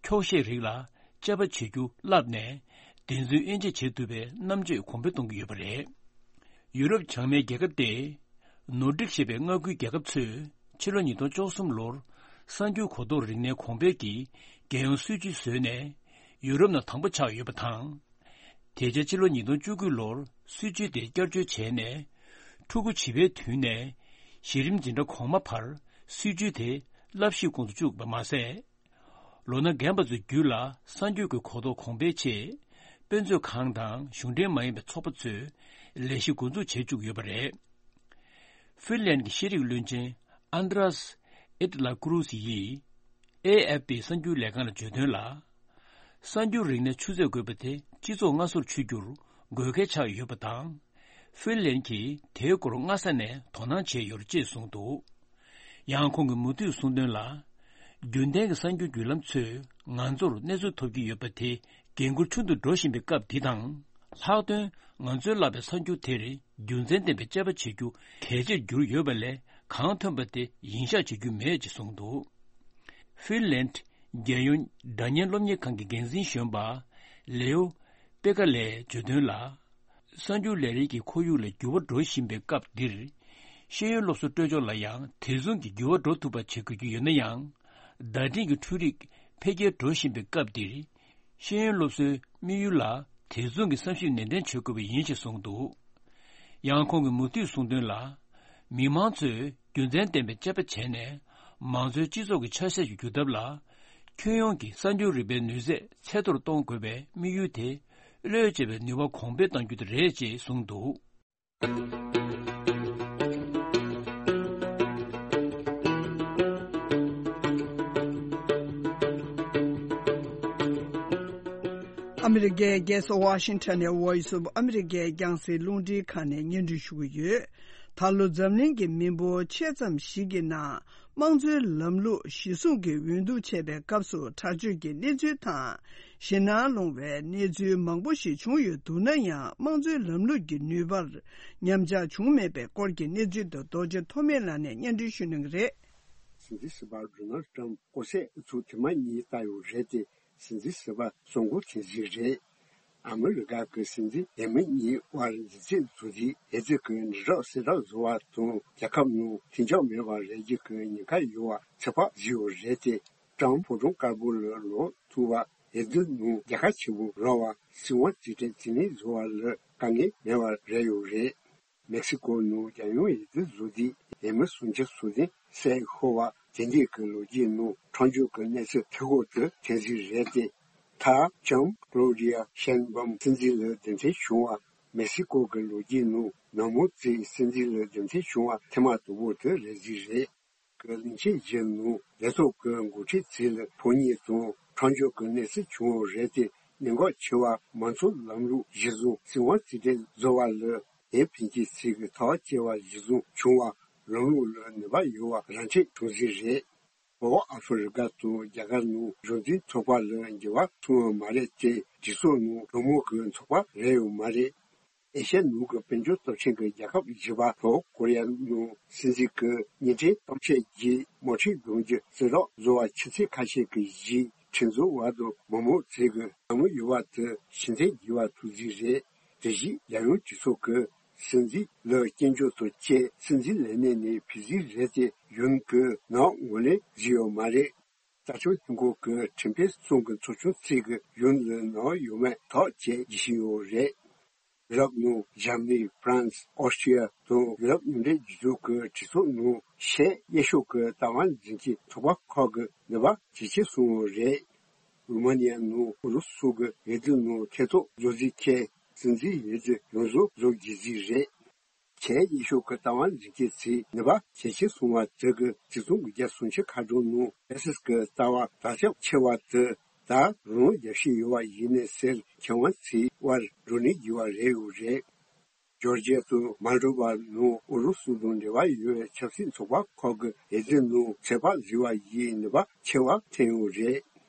འཁྱོག་བཤད་རིགས་ལ་དཔྱད་པ་བྱེད་རྒྱུ་བསླབས་ནས། བདེན་རྫུན་དབྱེ་འབྱེད་བྱེད་ཐུབ་པའི་རྣམ་དཔྱོད་གོང་འཕེལ་གཏོང་གི་ཡོད་པ་རེད། ཡུ་རོབ་བྱང་མའི་རྒྱལ་ཁབ་སྟེ། ནོར་ཌིག་ཞེས་པའི་མངའ་ཁུལ་རྒྱལ་ཁབ་ཚོས་ཕྱི་ལོ་ཉིས་སྟོང་བཅུ་གསུམ་ལོར་གསར་འགྱུར་གོ་རྟོགས་རིག་གནས་གོང་འཕེལ་གྱི་རྒྱལ་ཡོངས་སྲིད་ཇུས་བཟོས་ནས་ཡུ་རོབ་ནང་དང་པོ་ཆགས་ཡོད་པ་དང་། དེ་རྗེས་ཕྱི་ལོ་ཉིས་སྟོང་བཅུ་དགུ་ལོར་སྲིད་ཇུས་དེ་བསྐྱར་བཅོས་བྱས་ནས། ཕྲུ་གུ་བྱིས་པའི་དུས་ནས་གཞི་རིམ་འཛིན་གྲྭ་གོང་མ་བར་སྲིད་ཇུས་དེ་བསླབ་གཞིའི་ཁོངས་སུ་བཅུག་པ་མ་ཟད། ལོ་ན་རྒན་པ་ཚོའི་རྒྱུད་ལ་གསར་འགྱུར་གྱི་གོ་རྟོགས་གོང་འཕེལ་ཆེད། དཔེ་མཛོད་ཁང་དང་གཞུང་འབྲེལ་མ་ཡིན་པའི་ཚོགས་པ་ཚོས་ལས་གཞི་འགོ་འཛུགས་བྱེད་བཅུག་ཡོད་པ་རེད། ཧྥིན་ལན་གྱི་ཤེས་རིག་བློན་ཆེན་ཨན་དྲ་སི་ཨེ་ཏི་ལ་ཀུ་རུ་སི་ཡིས་ཨེ་ཨེཕ་པི་གསར་འགྱུར་ལས་ཁང་ལ་བརྗོད་དོན་ལ། གསར་འགྱུར་རིག་གནས་ཆུ་ཚད་དགོས་པ་དེ་སྤྱི་ཚོགས་སྔ་སོར་ཆུད་རྒྱུར་དགོས་གལ་ཆགས་ཡོད་པ་དང་། ཧྥིན་ལན་གྱིས་དེའི་སྐོར་སྔ་ས་ནས་དོ་སྣང་བྱས་ཡོད་ཅེས་གསུངས་འདུག་ཡང་ཁོང་གིས་མུ་མཐུད་གསུངས་དོན་ལ། རྒྱུན་ལྡན་གྱི་གསར་འགྱུར་བརྒྱུད་ལམ་ཚོས་ང་ཚོར་གནས་ཚུལ་ཐོབ་ཀྱི་ཡོད་པ་དེ་འགན་ཁུར་ཆུང་དུ་འགྲོ་བཞིན་པའི་སྐབས་འདི་དང་། ལྷག་དོན་ང་ཚོས་བསླབས་པའི་གསར་འགྱུར་དེར་རྒྱུ་མཚན་ལྡན་པའི་དཔྱད་པ་བྱེད་རྒྱུ་གལ་ཆེར་གྱུར་ཡོད་པ་ལས་གང་ཐོན་པ་དེ་ཡིན་ཤག་བྱེད་རྒྱུ་མེད་ཅེས་གསུངས་འདུག་ཧྥིན་ལན་རྒྱལ་ཡོངས་སྒྲ་སྙན་སློབ་གཉེར་ཁང་གི་འགན་འཛིན་གཞོན་པ་ལེའོ་པེ་ཀ་ལས་བརྗོད་དོན་ལ། གསར་འགྱུར་ལས་རིགས་ཀྱི་ཁོར་ཡུག་ལ་འགྱུར་བ་འགྲོ་བཞིན་པའི་སྐབས་འདིར། ཤེས་ཡོན་སློབ་གསོའི་སྤྲོད་ཕྱོགས་ལ་ཡང་དེ་མཚུངས་ཀྱི་འགྱུར་བ་འགྲོ་ཐུབ་པ་བྱེད་དགོས་ཀྱི་ཡོད་ན་ཡང་། བརྡ་འཕྲིན་གྱི་འཕྲུལ་རིག་འཕེལ་རྒྱས་འགྲོ་བཞིན་པའི་སྐབས་འདིར། ཤེས་ཡོན་སློབ་གསོའི་དམིགས་ཡུལ་ལ་དེ་མཚུངས་ཀྱི་བསམ་ཞིབ་ནན་ཏན་བྱེད་དགོས་པ་ཡིན་ཞེས་གསུངས་འདུག་ཡང་ཁོང་གིས་མུ་མཐུད་གསུངས་དོན་ལ། མི་མང་ཚོས་རྒྱུ་མཚན་ལྡན་པའི་དཔྱད་པ་བྱས་ནས། མང་གཙོའི་སྤྱི་ཚོགས་ཀྱི་ཆ་ཤས་ཀྱི་སྒྱུར་ཐབས་ལ། ཁྱོན་ཡོངས་ཀྱི་གསར་འགྱུར་རིག་པའི་ནུས་ཚད་ཚད་མཐོར་གཏོང་དགོས་པའི་དམིགས་ཡུལ་དེ། བློས་བྱས་པའི་ནུས་པ་གོང་འཕེལ་གཏང་རྒྱུ་དེ་རེད་ཅེས་གསུངས་འདུག་ཨ་མི་རི་ཀའི་རྒྱལ་ས་ཝ་ཤིང་ཊོན་ནས་Voice of America་རྒྱང་སྲིང་རླུང་འཕྲིན་ཁང་ནས་སྙན་སྒྲོན་ཞུ་གི་ཡོད། ད་ལོ་འཛམ་གླིང་གི་མི་འབོར་ཆེ་ཙམ་ཞིག་གི་ནང་དམངས་གཙོའི་ལམ་ལུགས་གཞིར་བཟུང་གིས་འོས་བསྡུ་བྱས་པའི་སྐབས་སུ་དྲག་སྤྱོད་ཀྱི་གནས་ཚུལ་དང་། ཞེད་སྣང་སློང་བའི་གནས་ཚུལ་མང་པོ་ཞིག་བྱུང་ཡོད་འདུག་ན་ཡང་། དམངས་གཙོའི་ལམ་ལུགས་ཀྱི་ནུས་པར་ཉམས་ཆག་བྱུང་མེད་པའི་སྐོར་གྱི་གནས་ཚུལ་དུ་རྡོ་རྗེ་ཐོགས་མེད་ལགས་ནས་སྙན་སྒྲོན་ཞུ་གནང་གི་རེད། སྲིད་འཛིན་ཟུར་པ་ཌོ་ནལ་ཊམ་སྐོར་ཟས་ཨུ་ཚུགས་དེ་མ་གཉིས་བཏང་ཡོད་རེད་དེ། སྲིད་འཛིན་ཟུར་པ་སོང་གོ་ཐེངས་གཟིགས་རེད། ཨ་མི་རི་ཀ་གི་སྲིད་འཛིན་འོས་མི་གཉིས་དབར་མཛའ་བརྩེ་བཟོ་རྒྱུའི་འོས་བསྡུ་གི་དྲིལ་སྒྲོག་གསལ་བསྒྲགས་བཟོ་བ་དང་། རྒྱལ་ཁབ་ནང་མཐུན་འགྱུར་མེད་པར་རེ་རྒྱུ་གི་ཉེན་ཁ་ཡོད་པ་ཚོད་དཔག་བཟོས་ཡོད་རེད་དེ། ཀྲམ་ཕོ་བྲང་དཀར་པོ་ལ་ལོག་ཐུབ་པ། འོས་བསྡུ་ནང་རྒྱལ་ཁ་ཆེན་པོ་རག་པ། སྲིད་དབང་རྩིས་སྤྲོད་རྩིས་ལེན་བཟོ་བ་ལ་དཀའ་ངལ་མེད་པར་རེད་ཡོད་རེད། མེག་སི་ཀོ་ནང་རྒྱལ་ཡོངས་འོས་བསྡུ་བཟོ་དུས་འོས་མི་སུམ་ཅུ་སོ་བདུན་བསད་ཤོར་བ། དེ་འདྲའི་གི་ལོ་རྒྱུས་ནང་ཁྲག་སྦྱོར་གྱི་གནས་ཚུལ་དེ་ཁོ་ཚོས་ཐེངས་གཟིགས་རེད་དེ། མཐར་ལྕམ་ཀློ་ཌི་ཡ་ཤེན་བྷམ་སྲིད་འཛིན་ལ་འདེམས་ཐོན་བྱུང་བ། མེག་སི་ཀོ་གི་ལོ་རྒྱུས་ནང་མི་མང་གཙོས་སྲིད་འཛིན་ལ་འདེམས་ཐོན་བྱུང་བ་ཐེངས་མ་དང་པོ་དེ་རེད་ཟིག་རེད། གི་གླིང་ཆེན་བཞི་ནང་རྒྱལ་ཚོགས་ཀྱི་འགོ་ཁྲིད་ཚོ་ལ་ཕོ་ཉ་དང་ཁྲག་སྦྱོར་གྱི་གནས་ཚུལ་བྱུང་བ་རེད་དེ། གནད་འགག་ཆེ་བ་མང་གཙོ་ལམ་ལུགས་གཞིར་བཟུང་སྲིད་དབང་རྩིས་སྤྲོད་བཟོ་བ་ལ་འོས་འཕེན་མཁན་ཚོས་ཀྱི་ཐག་བཅད་པ་གཞིར་བཟུང་བྱུང་བ་ལམ་ལུགས་ལ་ནུས་པ་ཡོད་པ་ར་འཕྲོད་བྱུང་ཟིག་རེད། བོད་ཨ་ཧྥེ་རི་ཀ་དང་རྒྱ་གར་ནང་གཞུང་འཛིན་ཚོགས་པ་ལ་འགྱུར་བ་སོང་བ་མ་རེད་དེ། གྲོས་ཚོགས་ནང་གྲོས་མོལ་གྱི་ཚོགས་པ་རེད་ཡོད་མ་རེད། ཨེ་ཤ་ཡ་ནང་གི་དཔལ་འབྱོར་སྟོབས་ཆེན་གྱི་རྒྱལ་ཁབ་བཞི་པ་ལྷོ་ཀོ་རི་ཡ་ནང་སྲིད་འཛིན་གྱི་གཉིས་ཕྲན་གཏམ་བཤད་ཀྱི་དམག་འཁྲུག་གདུང་རྒྱུད་རྩིས་རོགས་བཟོ་བ་ཆུ་ཚོད་ཁ་ཤས་ཀྱི་རྗེས་ཁྲིམས་བཟོ་བ་དང་མི་མང་ཚོས་ཀྱི་ལམ་ལུགས་ཡོད་པ་དེ་ཕྱིར་འཐེན་བགྱིས་པ་ཐུག་རྩིས་རེད། དེ་བཞིན་རྒྱལ་ཡོངས་གྲོས་ཚོགས་ཀྱི་སྲིད་འཛིན་ལ་སྐྱོན་བརྗོད་དང་བཅས་སྲིད་འཛིན་ལས་གནས་ནས་ཕུད་རྩིས་རེད་དེ། གཞུང་གིས་ནག་ངོས་ལེན་བཟོས་ཡོད་མ་རེད། རྩ་ཁྲིམས་ལྷན་ཁང་གི་ཁྲིམས་དཔོན་གསུམ་གྱི་ཚོགས་ཆུང་ཚོས་ཀྱི་གཞུང་ལ་ནག་ཡོད་མེད་ཐག་བཅད་བགྱིད་བཞིན་ཡོད་རེད། ཡུ་རོབ་ནང་འཇར་མ་ནི། ཧྥ་རན་སི། ཨོ་སི་ཀྲི་ཡ་དང་ཡུ་རོབ་མཉམ་འབྲེལ་རྒྱལ་ཚོགས་ཀྱི་གྲོས་ཚོགས་ནང་ཆེས་ཡག་ཤོས་ཀྱི་ལྟ་བ་འཛིན་མཁན་ཚོགས་པ་ཁག་གི་ནུས་པ་ཇེ་ཆེར་སོང་བ་རེད། རུ་མ་ནི་ཡ་ནང་ཨུ་རུ་སུ་གི་འོས་བསྡུ་ནང་ཐེ་གཏོགས་བཟོ་རྩིས་ཁེལ། སྲིད་འཛིན་འོས་བསྡུ་ཡོངས་རྫོགས་རྫོགས་བགྱིད་རྩིས་རེད། ཆེས་ཡག་ཤོས་ཀྱི་ལྟ་བ་འཛིན་མཁན་ཚོའི་ནུས་པ་ཇེ་ཆེར་སོང་བ་དེ་གིས་ཆིག་སྟོང་དགུ་བརྒྱ་སུམ་ཅུ་ཁ་གྲངས་ནང་ཕ་སི་སི་ཀྱི་ལྟ་བ་དར་ཁྱབ་ཆེ་བ་དེ་ད་རུང་རྒྱས་བཞིན་ཡོད་པ་ཡིན་ནའི་ཟེར་མཁས་དབང་ཚོའི་དབར་བགྲོ་གླེང་བགྱིས་པ་རེད་ཡོད་རེད། ཇོར་ཇི་ཡ་དང་མཱལ་ཌོ་བ་ནང་ཨུ་རུ་སུ་དང་འབྲེལ་བ་ཡོད་པའི་ཆབ་སྲིད་ཚོགས་པ་ཁག་གི་འོས་བསྡུ་ནང་ཚོད་དཔག་བཟོས་པ་ཡིས་ནུས་པ་ཆེ་བ་ཐོན་ཡོད་རེད།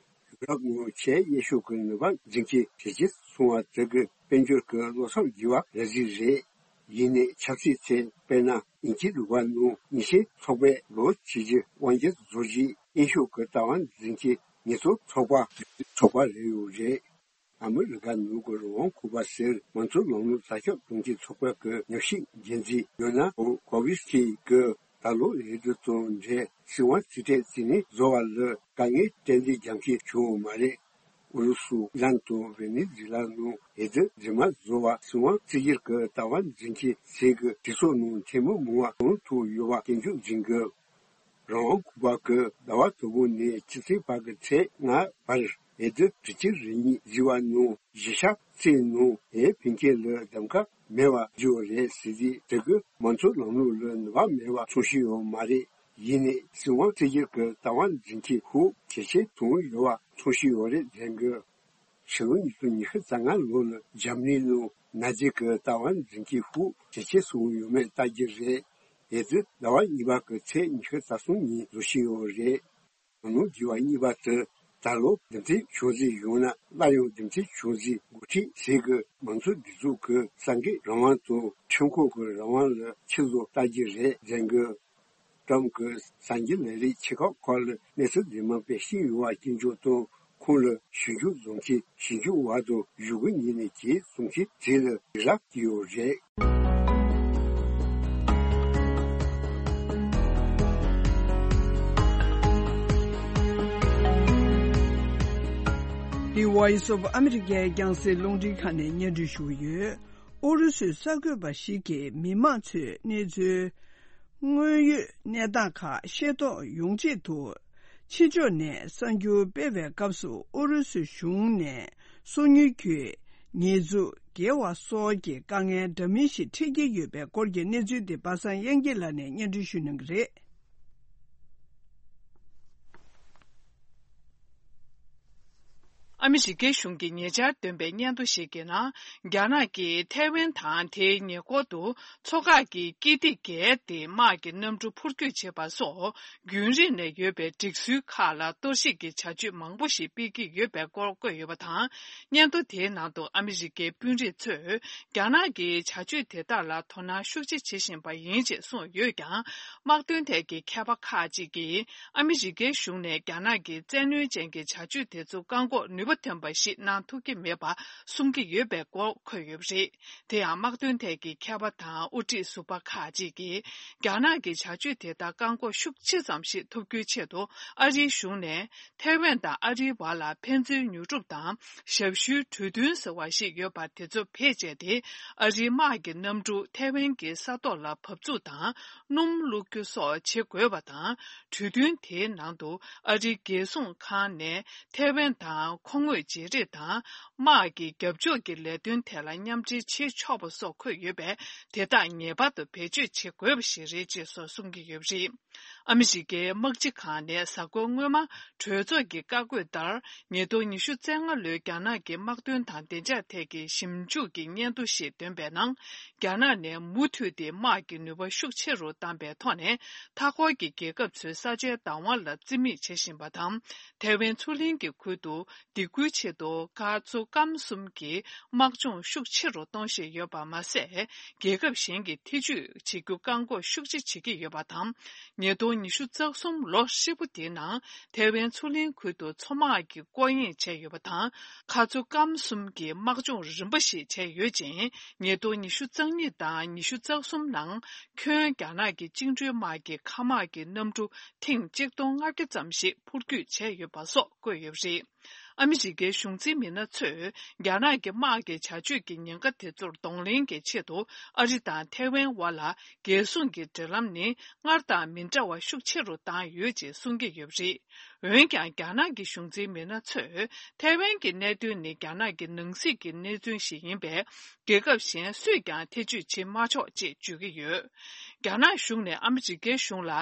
ཡུ་རོབ་ནང་ཆེས་ཡག་ཤོས་ཀྱི་ནུས་པ་འཛིན་མཁན་ཇེ་ཆེར་སོང་བ་དེ་གིས་དཔལ་འབྱོར་གྱི་བློ་འཚབ་བགྱིས་པ་རེད་ཟིག་རེད། ཡིན་ནའི་ཆབ་སྲིད་ཐད། དཔེར་ན། དབྱིན་ཇི་རུ་ཁག་ནང་ཉི་ཤུའི་ཚོགས་པས་ལོ་གཅིག་གི་དབང་སྒྱུར་བཟོ་རྒྱུའི་དབྱིན་ཤོག་གི་ལྟ་བ་འཛིན་མཁན་ཉེན་རྟོག་ཚོགས་པ་ཚོགས་པ་རེད་ཡོད་རེད། ཨ་མི་རི་ཀ་ནང་གི་རང་དབང་ཁུག་པ་ཟེར་མང་གཙོའི་ལམ་ལུགས་དར་ཁྱབ་གཏོང་མཁན་ཚོགས་པ་གི་ཉམས་ཞིབ་འགན་འཛིན་ཡོ་ན་ཀོ་ཝིས་ཀི་གིས་ད་ལོ་འོས་བསྡུ་དང་འབྲེལ་སྲིད་དབང་རྩིས་སྤྲོད་རྩིས་ལེན་བཟོ་བ་ལ་དཀའ་ངལ་ཏན་ཏན་རྒྱག་མཁན་བྱུང་ཡོད་མ་རེད། ཨུ་རུ་སུ། ཨི་རན་དང་ཝེ་ནེ་ཛུ་ལ་ནང་འོས་བསྡུ་རྗེས་མ་བཟོ་བ་སྲིད་དབང་རྩིས་བསྒྱུར་གྱི་ལྟ་བ་འཛིན་མཁན་ཚོས་ཀྱི་གྲོས་ཚོགས་ནང་འཐུས་མི་མང་བ་གང་ཐུབ་ཡོད་པ་སྐྱོན་བརྗོད་འཛིན་དགོས། རང་དབང་ཁུག་པ་གིས་ཟླ་བ་དང་པོ་ནས་ཕྱི་ཚེས་བར་གྱི་ཚེས་ལྔ་བར་འོས་བསྡུ་དྲུག་ཅུ་རེ་གཉིས་བཟོས་པ་ནང་བཞི་ཆ་གཅིག་ནང་འོས་འཕེན་མཁན་ལ་གདམ་ཀ་མེད་པ་བཟོས་པ་རེད་ཟེར་དུས། དེ་གིས་མང་གཙོའི་ལམ་ལུགས་ལ་ནུས་པ་མེད་པ་མཚོན་བཞིན་ཡོད་མ་རེད། ཡིན་ནའི་སྲིད་དབང་རྩིས་བསྒྱུར་གྱི་ལྟ་བ་འཛིན་མཁན་ཤུགས་ཇེ་ཆེར་བཏང་ཡོད་པ་མཚོན་བཞིན་ཡོད་རེད་ཟེར་གི། ཕྱི་ལོ་ཉིས་སྟོང་ཉི་ཤུ་རྩ་ལྔ་ལོ་ལ་འཇར་མ་ནི་ནང་ནཱ་ཛི་གི་ལྟ་བ་འཛིན་མཁན་ཤུགས་ཇེ་ཆེར་སོང་ཡོད་མེད་ལྟ་རྒྱུ་རེད། འོས་བསྡུ་ཟླ་བ་གཉིས་པ་གི་ཚེས་ཉི་ཤུ་རྩ་གསུམ་ཉིན་བཟོ་བཞིན་ཡོད་རེད། ནང་ལོགས་འགྱུར་བ་གཉིས་པ་དེ་ད་ལོ་འདེམས་ཐོན་བྱུང་རྩིས་ཡང་ན་སླར་ཡང་འདེམས་ཐོན་བྱུང་རྩིས་འགོ་ཁྲིད་ཚོས་ཀྱི་མང་གཙོའི་སྒྲིག་འཛུགས་ཀྱི་གསར་འགོད་རང་དབང་དང་ཁྲིམས་ཁང་གི་རང་དབང་ལ་ཕྱིར་བཟོ་ལྟ་རྒྱུ་རེད་ཟེར་གི། ཀྲམ་གྱིས་གསར་འགྱུར་ལས་རིགས་ཆེ་ཁག་ཁག་ལ་གནས་ཚུལ་རྫུན་མ་སྤེལ་བཞིན་ཡོད་པ་སྐྱོན་བརྗོད་དང་། ཁོང་ལ་ཞིབ་འཇུག་བཟོ་མཁན་ཞིབ་འཇུག་པ་དང་གཞུག་གུ་ཉིན་ནས་གྱེས་གསུང་མཁན་དེ་ལ་སྡིགས་ར་བསྐྱལ་ཡོད་རེད། འདི་Voice of America རྒྱང་སྲིང་རླུང་འཕྲིན་ཁང་ནས་སྙན་སྒྲོན་ཞུ་གི་ཡོད། ཨུ་རུ་སུའི་གསར་འགོད་པ་ཞིག་གིས་མི་མང་ཚོས་གནས་ཚུལ། དངོས་ཡོད་གནས་སྟངས་ཁག་ཤེས་རྟོགས་ཡོང་ཆེད་དུ། ཕྱི་ཕྱོགས་ནས་གསར་འགྱུར་སྤེལ་བའི་སྐབས་སུ་ཨུ་རུ་སུའི་གཞུང་ནས་སོ་ཉུལ་གྱི་ཉེས་འཛུགས་འགེལ་བ་སོགས་ཀྱི་དཀའ་ངལ་འདྲ་མིན་ཞིག་འཕྲད་ཀྱི་ཡོད་པའི་སྐོར་གྱི་གནས་ཚུལ་དེ་པ་སངས་དབྱངས་སྐྱིད་ལགས་ནས་སྙན་སྒྲོན་ཞུ་གནང་གི་རེད། ཨ་མི་རི་ཀའི་གཞུང་གིས་ཉེ་ཆར་བཏོན་པའི་སྙན་ཐོ་ཞིག་གི་ནང་། རྒྱ་ནག་གིས་ཐའེ་ཝན་དང་དེའི་ཉེ་འཁོར་དུ་མཚོ་འགག་གི་དཀྱིལ་སྟེགས་བརྒལ་ཏེ་དམག་གི་གནམ་གྲུ་འཕུར་སྐྱོད་བྱེད་པ་སོགས་རྒྱུན་རིང་ནས་ཡོད་པའི་སྒྲིག་སྲོལ་ཁག་ལ་གཏོར་བཤིག་གི་བྱ་སྤྱོད་མང་པོ་ཞིག་སྤེལ་གྱི་ཡོད་པའི་སྐོར་བཀོད་ཡོད་པ་དང་། སྙན་ཐོ་དེའི་ནང་དུ་ཨ་མི་རི་ཀའི་དཔོན་རིགས་ཚོས་རྒྱ་ནག་གི་བྱ་སྤྱོད་དེ་དག་ལ་དོ་སྣང་ཤུགས་ཆེ་བྱེད་བཞིན་པ་ཡིན་ཅེས་གསུངས་ཡོད་ཀྱང་། དམག་དོན་ཐད་ཀྱི་མཁས་པ་ཁག་ཅིག་གིས། ཨ་མི་རི་ཀའི་གཞུང་ནས་རྒྱ་ནག་གི་བཙན་གནོན་ཅན་གྱི་བྱ་སྤྱོད་དེ་ཚོ་བཀག་འགོག་ནུས་པ་ཐོན་པ་ཞིག་གནང་ཐུབ་ཀྱི་མེད་པ་གསུང་གི་ཡོད་པའི་སྐོར་འཁོད་ཡོད་པ་རེད། དེ་ཡང་དམག་དོན་ཐད་ཀྱི་མཁས་པ་དང་དབུ་ཁྲིད་ཟུར་པ་ཁག་ཅིག་གིས། རྒྱ་ནག་གི་བྱ་སྤྱོད་དེ་དག་བཀག་འགོག་ཤུགས་ཆེ་ཙམ་ཞིག་ཐུབ་རྒྱུའི་ཆེད་དུ། ཨ་རིའི་གཞུང་ནས་ཐའེ་ཝན་དང་ཨ་རིའི་བར་ལ་ཕན་ཚུན་ཉོ་སྒྲུབ་དང་ཞབས་ཞུའི་གྲོས་མཐུན་ཟེར་བ་ཞིག་ཡོད་པ་དེ་ཚོ་བེད་སྤྱད་དེ། ཨ་རིའི་དམག་གི་གནམ་གྲུ་ཐའེ་ཝན་གྱི་ས་ཐོག་ལ་བབས་ཚུགས་དང་། སྣུམ་བླུགས་རྒྱུ་སོགས་བྱེད་དགོས་པ་དང་། གྲོས་མཐུན་དེའི་ནང་དུ་ཨ་རིའི་རྒྱལ་སྲུང་ཁང་ནས་ཐའེ་ཝན་དང་མཁོ་དངོས་བརྗེ་རེས་དང་། དམག་གི་རྒྱབ་ཕྱོགས་ཀྱི་ལས་དོན་ཐད་ལ་མཉམ་འབྲེལ་བྱེད་ཆོག་པ་སོགས་འཁོད་ཡོད་པས། དེ་དག་ངེས་པར་དུ་བེད་སྤྱོད་བྱེད་དགོས་པ་ཞིག་རེད་ཅེས་སོགས་གསུང་གི་ཡོད་པ་རེད། ཨ་མི་རི་ཀའི་དམག་སྤྱི་ཁང་ནས་གཟའ་འཁོར་སྔོན་མ་གྲོས་ཚོགས་ཀྱི་བཀའ་བཀོད་ལྟར། ཉིས་སྟོང་ཉི་ཤུ་རྩ་ལྔ་ལོའི་རྒྱ་ནག་གི་དམག་དོན་དང་བདེ་འཇགས་ཐད་ཀྱི་ཞིབ་འཇུག་གི་སྙན་ཐོ་ཞིག་བཏོན་པའི་ནང་། རྒྱ་ནག་ནས་མུ་མཐུད་དེ་དམག་གི་ནུས་པ་ཤུགས་ཆེ་རུ་བཏང་པའི་ཐོག་ནས། མཐའ་འཁོར་གྱི་རྒྱལ་ཁབ་ཚོའི་ས་ཆའི་བདག་དབང་ལ་བརྩི་མེད་བྱེད་བཞིན་པ་དང་། ཐའེ་ཝན་མཚོ་གླིང་གི་ཁུལ་དུ་སྡིགས་སྐུལ་ཆེད་དུ། མཁར་མཚོ་སྐམ་གསུམ་གྱི་དམག་སྦྱོང་ཤུགས་ཆེ་རུ་གཏོང་བཞིན་ཡོད་པ་མ་ཟད། རྒྱལ་ཁབ་གཞན་གྱི་ཐེ་ཇུས་བྱེད་རྒྱུ་བཀག་འགོག་ཤུགས་ཆེ་བྱེད་ཀྱི་ཡོད་པ་དང་། ཉིས་སྟོང་ཉི་ཤུ་རྩ་གསུམ་ལོ་ཧྲིལ་པོ་དེའི་ནང་། ཐའེ་ཝན་མཚོ་གླིང་ཁུལ་དུ་མཚོ་དམག་གི་སྐོར་གཡེང་བྱས་ཡོད་པ་དང་། མཁར་མཚོ་སྐམ་གསུམ་གྱི་དམག་སྦྱོང་རིམ་པ་ཞིག་བྱས་ཡོད་ཅིང་། ཉིས་སྟོང་ཉི་ཤུ་རྩ་གཉིས་དང་ཉི་ཤུ་རྩ་གསུམ་ནང་། ཁྱོན་རྒྱ་ནག་གི་བཅིངས་འགྲོལ་དམག་གི་མཁའ་དམག་གི་གནམ་གྲུ་ཐེངས་གཅིག་སྟོང་ལྔ་བརྒྱ་ཙམ་ཞིག་འཕུར་སྐྱོད་བྱས་ཡོད་པ་སོགས་བཀོད་ཡོད་པ་རེད། ཨ་མི་རི་ཀའི་གཞུང་འཛིན་མི་སྣ་ཚོས། རྒྱ་ནག་གི་དམག་གི་བྱ་སྤྱོད་ཀྱི་ཉེན་ཁ་དེ་ཚོར་གདོང་ལེན་གྱི་ཆེད་དུ། ཨ་རི་དང་ཐའེ་ཝན་དབར་ལ། རྒྱལ་སྲུང་གི་འབྲེལ་ལམ་ནི། སྔར་དང་མི་འདྲ་བ་ཤུགས་ཆེ་རུ་བཏང་ཡོད་ཅེས་གསུང་གི་ཡོད་པ་རེད། འོན་ཀྱང་། རྒྱ་ནག་གི་གཞུང་འཛིན་མི་སྣ་ཚོས། ཐའེ་ཝན་གྱི་གནད་དོན་ནི། རྒྱ་ནག་གི་ནང་སྲིད་ཀྱི་གནས་ཚུལ་ཞིག་ཡིན་པས། རྒྱལ་ཁབ་གཞན་སུས་ཀྱང་ཐེ་ཇུས་བྱེད་མ་ཆོག་ཅེས་བརྗོད་ཀྱི་ཡོད། རྒྱ་ནག་གཞུང་ནས་ཨ་མི་རི་ཀའི་གཞུང་ལ།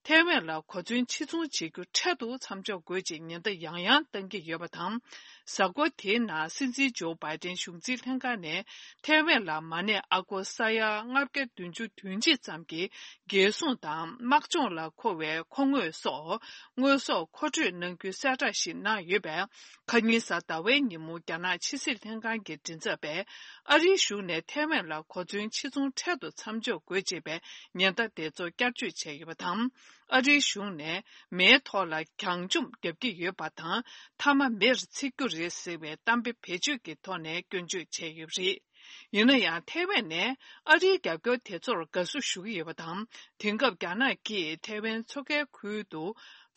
ཐའེ་ཝན་ལ་གོ་མཚོན་ཕྱིར་ཚོང་བྱེད་རྒྱུ་འཕྲལ་དུ་མཚམས་འཇོག་དགོས་ཅེས་ཉེན་བརྡ་ཡང་ཡང་བཏང་གི་ཡོད་པ་དང་། གཟའ་འཁོར་དེའི་ནང་སྲིད་འཛིན་ཇོ་བྷའི་ཏན་གཞུང་འཛིན་ལྷན་ཁང་ནས། ཐའེ་ཝན་ལ་མ་ཎི་ཨ་སྒོར་ས་ཡ་ལྔ་བརྒྱ་བདུན་ཅུ་དོན་གཅིག་ཙམ་གྱི་རྒྱལ་སྲུང་དང་དམག་སྦྱོང་ལ་མཁོ་བའི་མཁོ་དངོས་སོགས། དངོས་ཟོག་མཁོ་སྤྲོད་གནང་རྒྱུའི་གསལ་བསྒྲགས་ཤིག་གནང་ཡོད་པས། ཁ་ཉིན་གཟའ་ཟླ་བའི་ཉིན་མོ། རྒྱ་ནག་ཕྱི་སྲིད་ལྷན་ཁང་གི་མགྲིན་ཚབ་པས། ཨ་རིའི་གཞུང་ནས་ཐའེ་ཝན་ལ་གོ་མཚོན་ཕྱིར་ཚོང་འཕྲལ་དུ་མཚམས་འཇོག་དགོས་ཅེས་པའི་ཉེན་བརྡ་དེ་ཚོ་བསྐྱར་བཅོས་བྱས་ཡོད་པ་དང་། ཨ་རིའི་གཞུང་ནས་མེའི་ཐོག་ལ་གྱང་ལྕུམ་བརྒྱབ་ཀྱི་ཡོད་པ་དང་། མཐའ་མ་མེར་འཚིག་རྒྱུ་རེད་ཟེར་བའི་གཏམ་དཔེ་བེད་སྤྱོད་ཀྱི་ཐོག་ནས་སྐྱོན་བརྗོད་བྱས་ཡོད་པ་རེད། ཡིན་ན་ཡང་། ཐའེ་ཝན་ནས་ཨ་རིའི་རྒྱབ་སྐྱོར་དེ་ཚོར་དགའ་བསུ་ཞུ་གི་ཡོད་པ་དང་། དེང་སྐབས་རྒྱ་ནག་གིས་ཐའེ་ཝན་མཚོ་ཁའི་ཁུལ་དུ་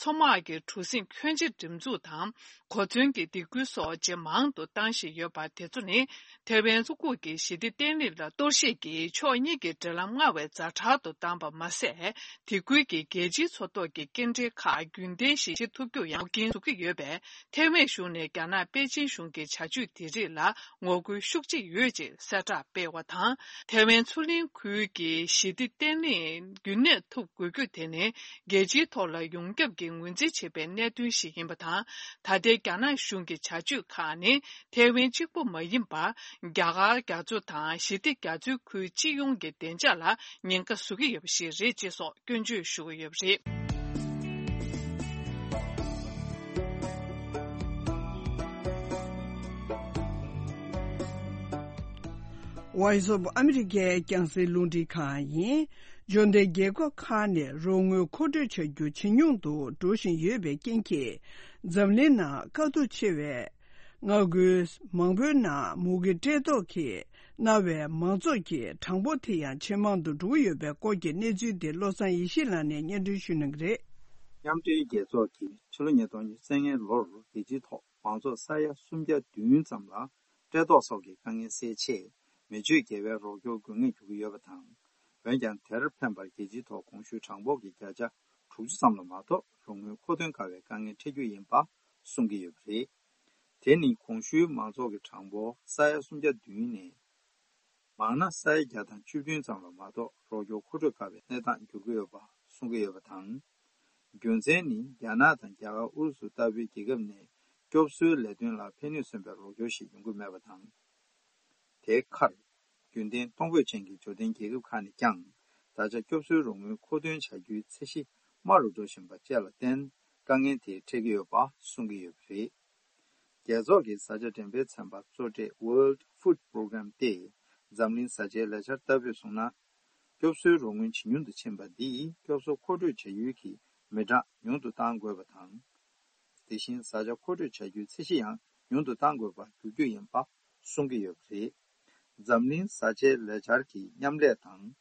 མཚོ་དམག་གི་གྲུ་གཟིངས་ཁྱོན་ཆེ་འགྲེམས་འཛུགས་དང་། གོ་མཚོན་གྱི་སྡིགས་སྐུལ་སོགས་ཇེ་མང་དུ་བཏང་བཞིན་ཡོད་པ་དེ་ཚོ་ནི། ཐའེ་ཝན་མཚོ་ཁུག་གི་ཞི་བདེ་བརྟན་ལྷིང་ལ་གཏོར་བཤིག་གིས་ཕྱོགས་གཉིས་ཀྱི་འབྲེལ་ལམ་སྔར་བས་ཛ་དྲག་ཏུ་བཏང་པ་མ་ཟད། དེ་ཁུལ་གྱི་རྒྱལ་སྤྱིའི་མཚོ་ཐོག་གི་སྐྱེལ་འདྲེན་ཁག་རྒྱུན་ལྡན་ཞིག་བྱེད་ཐུབ་རྒྱུར་ཡང་འགོག་རྐྱེན་བཟོ་གི་ཡོད་པས། ཐའེ་ཝན་གཞུང་ནས་རྒྱ་ནག་པེ་ཅིན་གཞུང་གི་བྱ་སྤྱོད་དེ་རིགས་ལ་ངོ་རྒོལ་ཤུགས་ཆེ་ཡོད་ཅེས་གསལ་བསྒྲགས་སྤེལ་བ་དང་། ཐའེ་ཝན་མཚོ་གླིང་ཁུལ་གྱི་ཞི་བདེ་བརྟན་ལྷིང་རྒྱུན་གནས་ཐུབ་དགོས་རྒྱུ་དེ་ནི། རྒྱལ་སྤྱིའི་ཐོག་ལ་ཡོངས་ཁྱབ་ཀྱིས་ངོས་འཛིན་བྱེད་པའི་གནད་དོན་ཞིག་ཡིན་པ་དང་། ད་ལྟའི་རྒྱ་ནག་གཞུང་གི་བྱ་སྤྱོད་ཁག་ནི། ཐའེ་ཝན་གཅིག་པུ་མ་ཡིན་པར། རྒྱ་གར་རྒྱ་མཚོ་དང་ཞི་བདེ་རྒྱ་མཚོའི་ཁུལ་སྤྱི་ཡོངས་ཀྱི་བདེ་འཇགས་ལ་ཉེན་ཁ་བཟོ་གི་ཡོད་པ་ཞིག་རེད་ཅེས་སོགས་སྐྱོན་བརྗོད་ཞུ་གི་ཡོད་པ་རེད། Voice of America རྒྱང་སྲིང་རླུང་འཕྲིན་ཁང་ཡིན། འབྱོར་ལྡན་རྒྱལ་ཁབ་ཁག་ནས་རོགས་དངུལ་མཁོ་སྤྲོད་བྱ་རྒྱུ་ཇེ་ཉུང་དུ་འགྲོ་བཞིན་ཡོད་པའི་རྐྱེན་གྱིས། འཛམ་གླིང་ནང་དཀའ་སྡུག་ཆེ་བའི་མངའ་ཁུལ་མང་པོའི་ནང་མུ་གེ་བཀྲེས་ལྟོགས་ཀྱིས་མནར་བའི་མང་ཚོགས་ཀྱི་གྲངས་འབོར་དེ་ཡང་ཇེ་མང་དུ་འགྲོ་གི་ཡོད་པའི་སྐོར་གྱི་གནས་ཚུལ་དེ་བློ་བཟང་ཡེ་ཤེས་ལགས་ནས་སྙན་སྒྲོན་ཞུ་གནང་གི་རེད། མཉམ་འབྲེལ་རྒྱལ་ཚོགས་ཀྱིས་ཕྱི་ལོ་ཉིས་སྟོང་ཉི་ཤུ་རྩ་ལྔའི་ལོར་རྒྱལ་སྤྱིའི་ཐོག་མང་ཚོགས་ས་ཡ་སུམ་བརྒྱ་བདུན་ཙམ་ལ་བཀྲེས་ལྟོགས་སོགས་ཀྱི་དཀའ་ངལ་སེལ་ཆེད། མི་སྤྱོད་དགེ་བའི་རོགས་སྐྱོར་དགོས་ངེས་འགྱུར་གྱི་ཡོད་པ་དང་། འོན་ཀྱང་། དེར་ཕན་པར་རྒྱལ་སྤྱིའི་ཐོག་གོང་ཞུས་གྲངས་འབོར་གྱི་བརྒྱ་ཆ་དྲུག་ཅུ་ཙམ་ལ་མ་གཏོགས་རོགས་དངུལ་མཁོ་འདོན་དཀའ་བའི་དཀའ་ངལ་འཕྲད་རྒྱུ་ཡིན་པ་གསུང་གི་ཡོད་པ་རེད། དེ་ནི་གོང་ཞུས་མང་ཚོགས་ཀྱི་གྲངས་འབོར་ས་ཡ་སུམ་བརྒྱ་བདུན་ནས། མང་ན་ས་ཡ་བརྒྱ་དང་བཅུ་བདུན་ཙམ་ལ་མ་གཏོགས་རོགས་སྐྱོར་མཁོ་སྤྲོད་དཀའ་བའི་གནས་སྟངས་འགྱུར་གྱི་ཡོད་པ་གསུང་གི་ཡོད་པ་དང་། རྒྱུ་མཚན་ནི། རྒྱ་ནག་དང་རྒྱ་གར་ཨུ་རུ་སུ་ལྟ་བུའི་རྒྱལ་ཁབ་ནས་ སྐྱོབ་གསོའི་ལས་དོན་ལ་ཕན་ནུས་སོན་པའི་རོགས་སྐྱོར་ཞིག་ཡོང་གི་མེད་པ་དང་། དེའི་ཁར། རྒྱུན་ལྡན་གཏོང་ཕོད་ཅན་གྱི་འབྱོར་ལྡན་རྒྱལ་ཁབ་ཁག་ནས་ཀྱང་། ད་ཆ་སྐྱོབ་གསོའི་རོགས་དངུལ་མཁོ་འདོན་བྱ་རྒྱུའི་ཚད་གཞི་དམའ་རུ་འགྲོ་བཞིན་པ་བཅས་ལ་བརྟེན། དཀའ་ངལ་དེ་འཕྲད་ཀྱི་ཡོད་པ་གསུང་གི་ཡོད་པ་རེད། རྒྱལ་ཚོགས་ཀྱི་བཟའ་བཅའ་འགྲེམས་སྤེལ་ཚན་པ་གཙོ་གྲས་World Food Programme་སྟེ། འཛམ་གླིང་བཟའ་བཅའི་ལས་འཆར་ལྟ་བུས་གསུངས་ན། སྐྱོབ་གསོའི་རོགས་དངུལ་ཇེ་ཉུང་དུ་ཕྱིན་པ་འདིས་སྐྱོབ་གསོ་མཁོ་སྤྲོད་བྱ་ཡུལ་གྱི་མི་གྲངས་ཉུང་དུ་གཏང་དགོས་པ་དང་། དེ་བཞིན་བཟའ་བཅའ་མཁོ་སྤྲོད་བྱ་རྒྱུའི་ཚད་གཞི་ཡང་ཉུང་དུ་གཏང་དགོས་པར་འགྱུར་རྒྱུ་ཡིན་པ་གསུང་གི་ཡོད་པ་རེད། འཛམ་གླིང་བཟའ་བཅའི་ལས་འཆར་གྱི་མཉམ་ལས་དང་།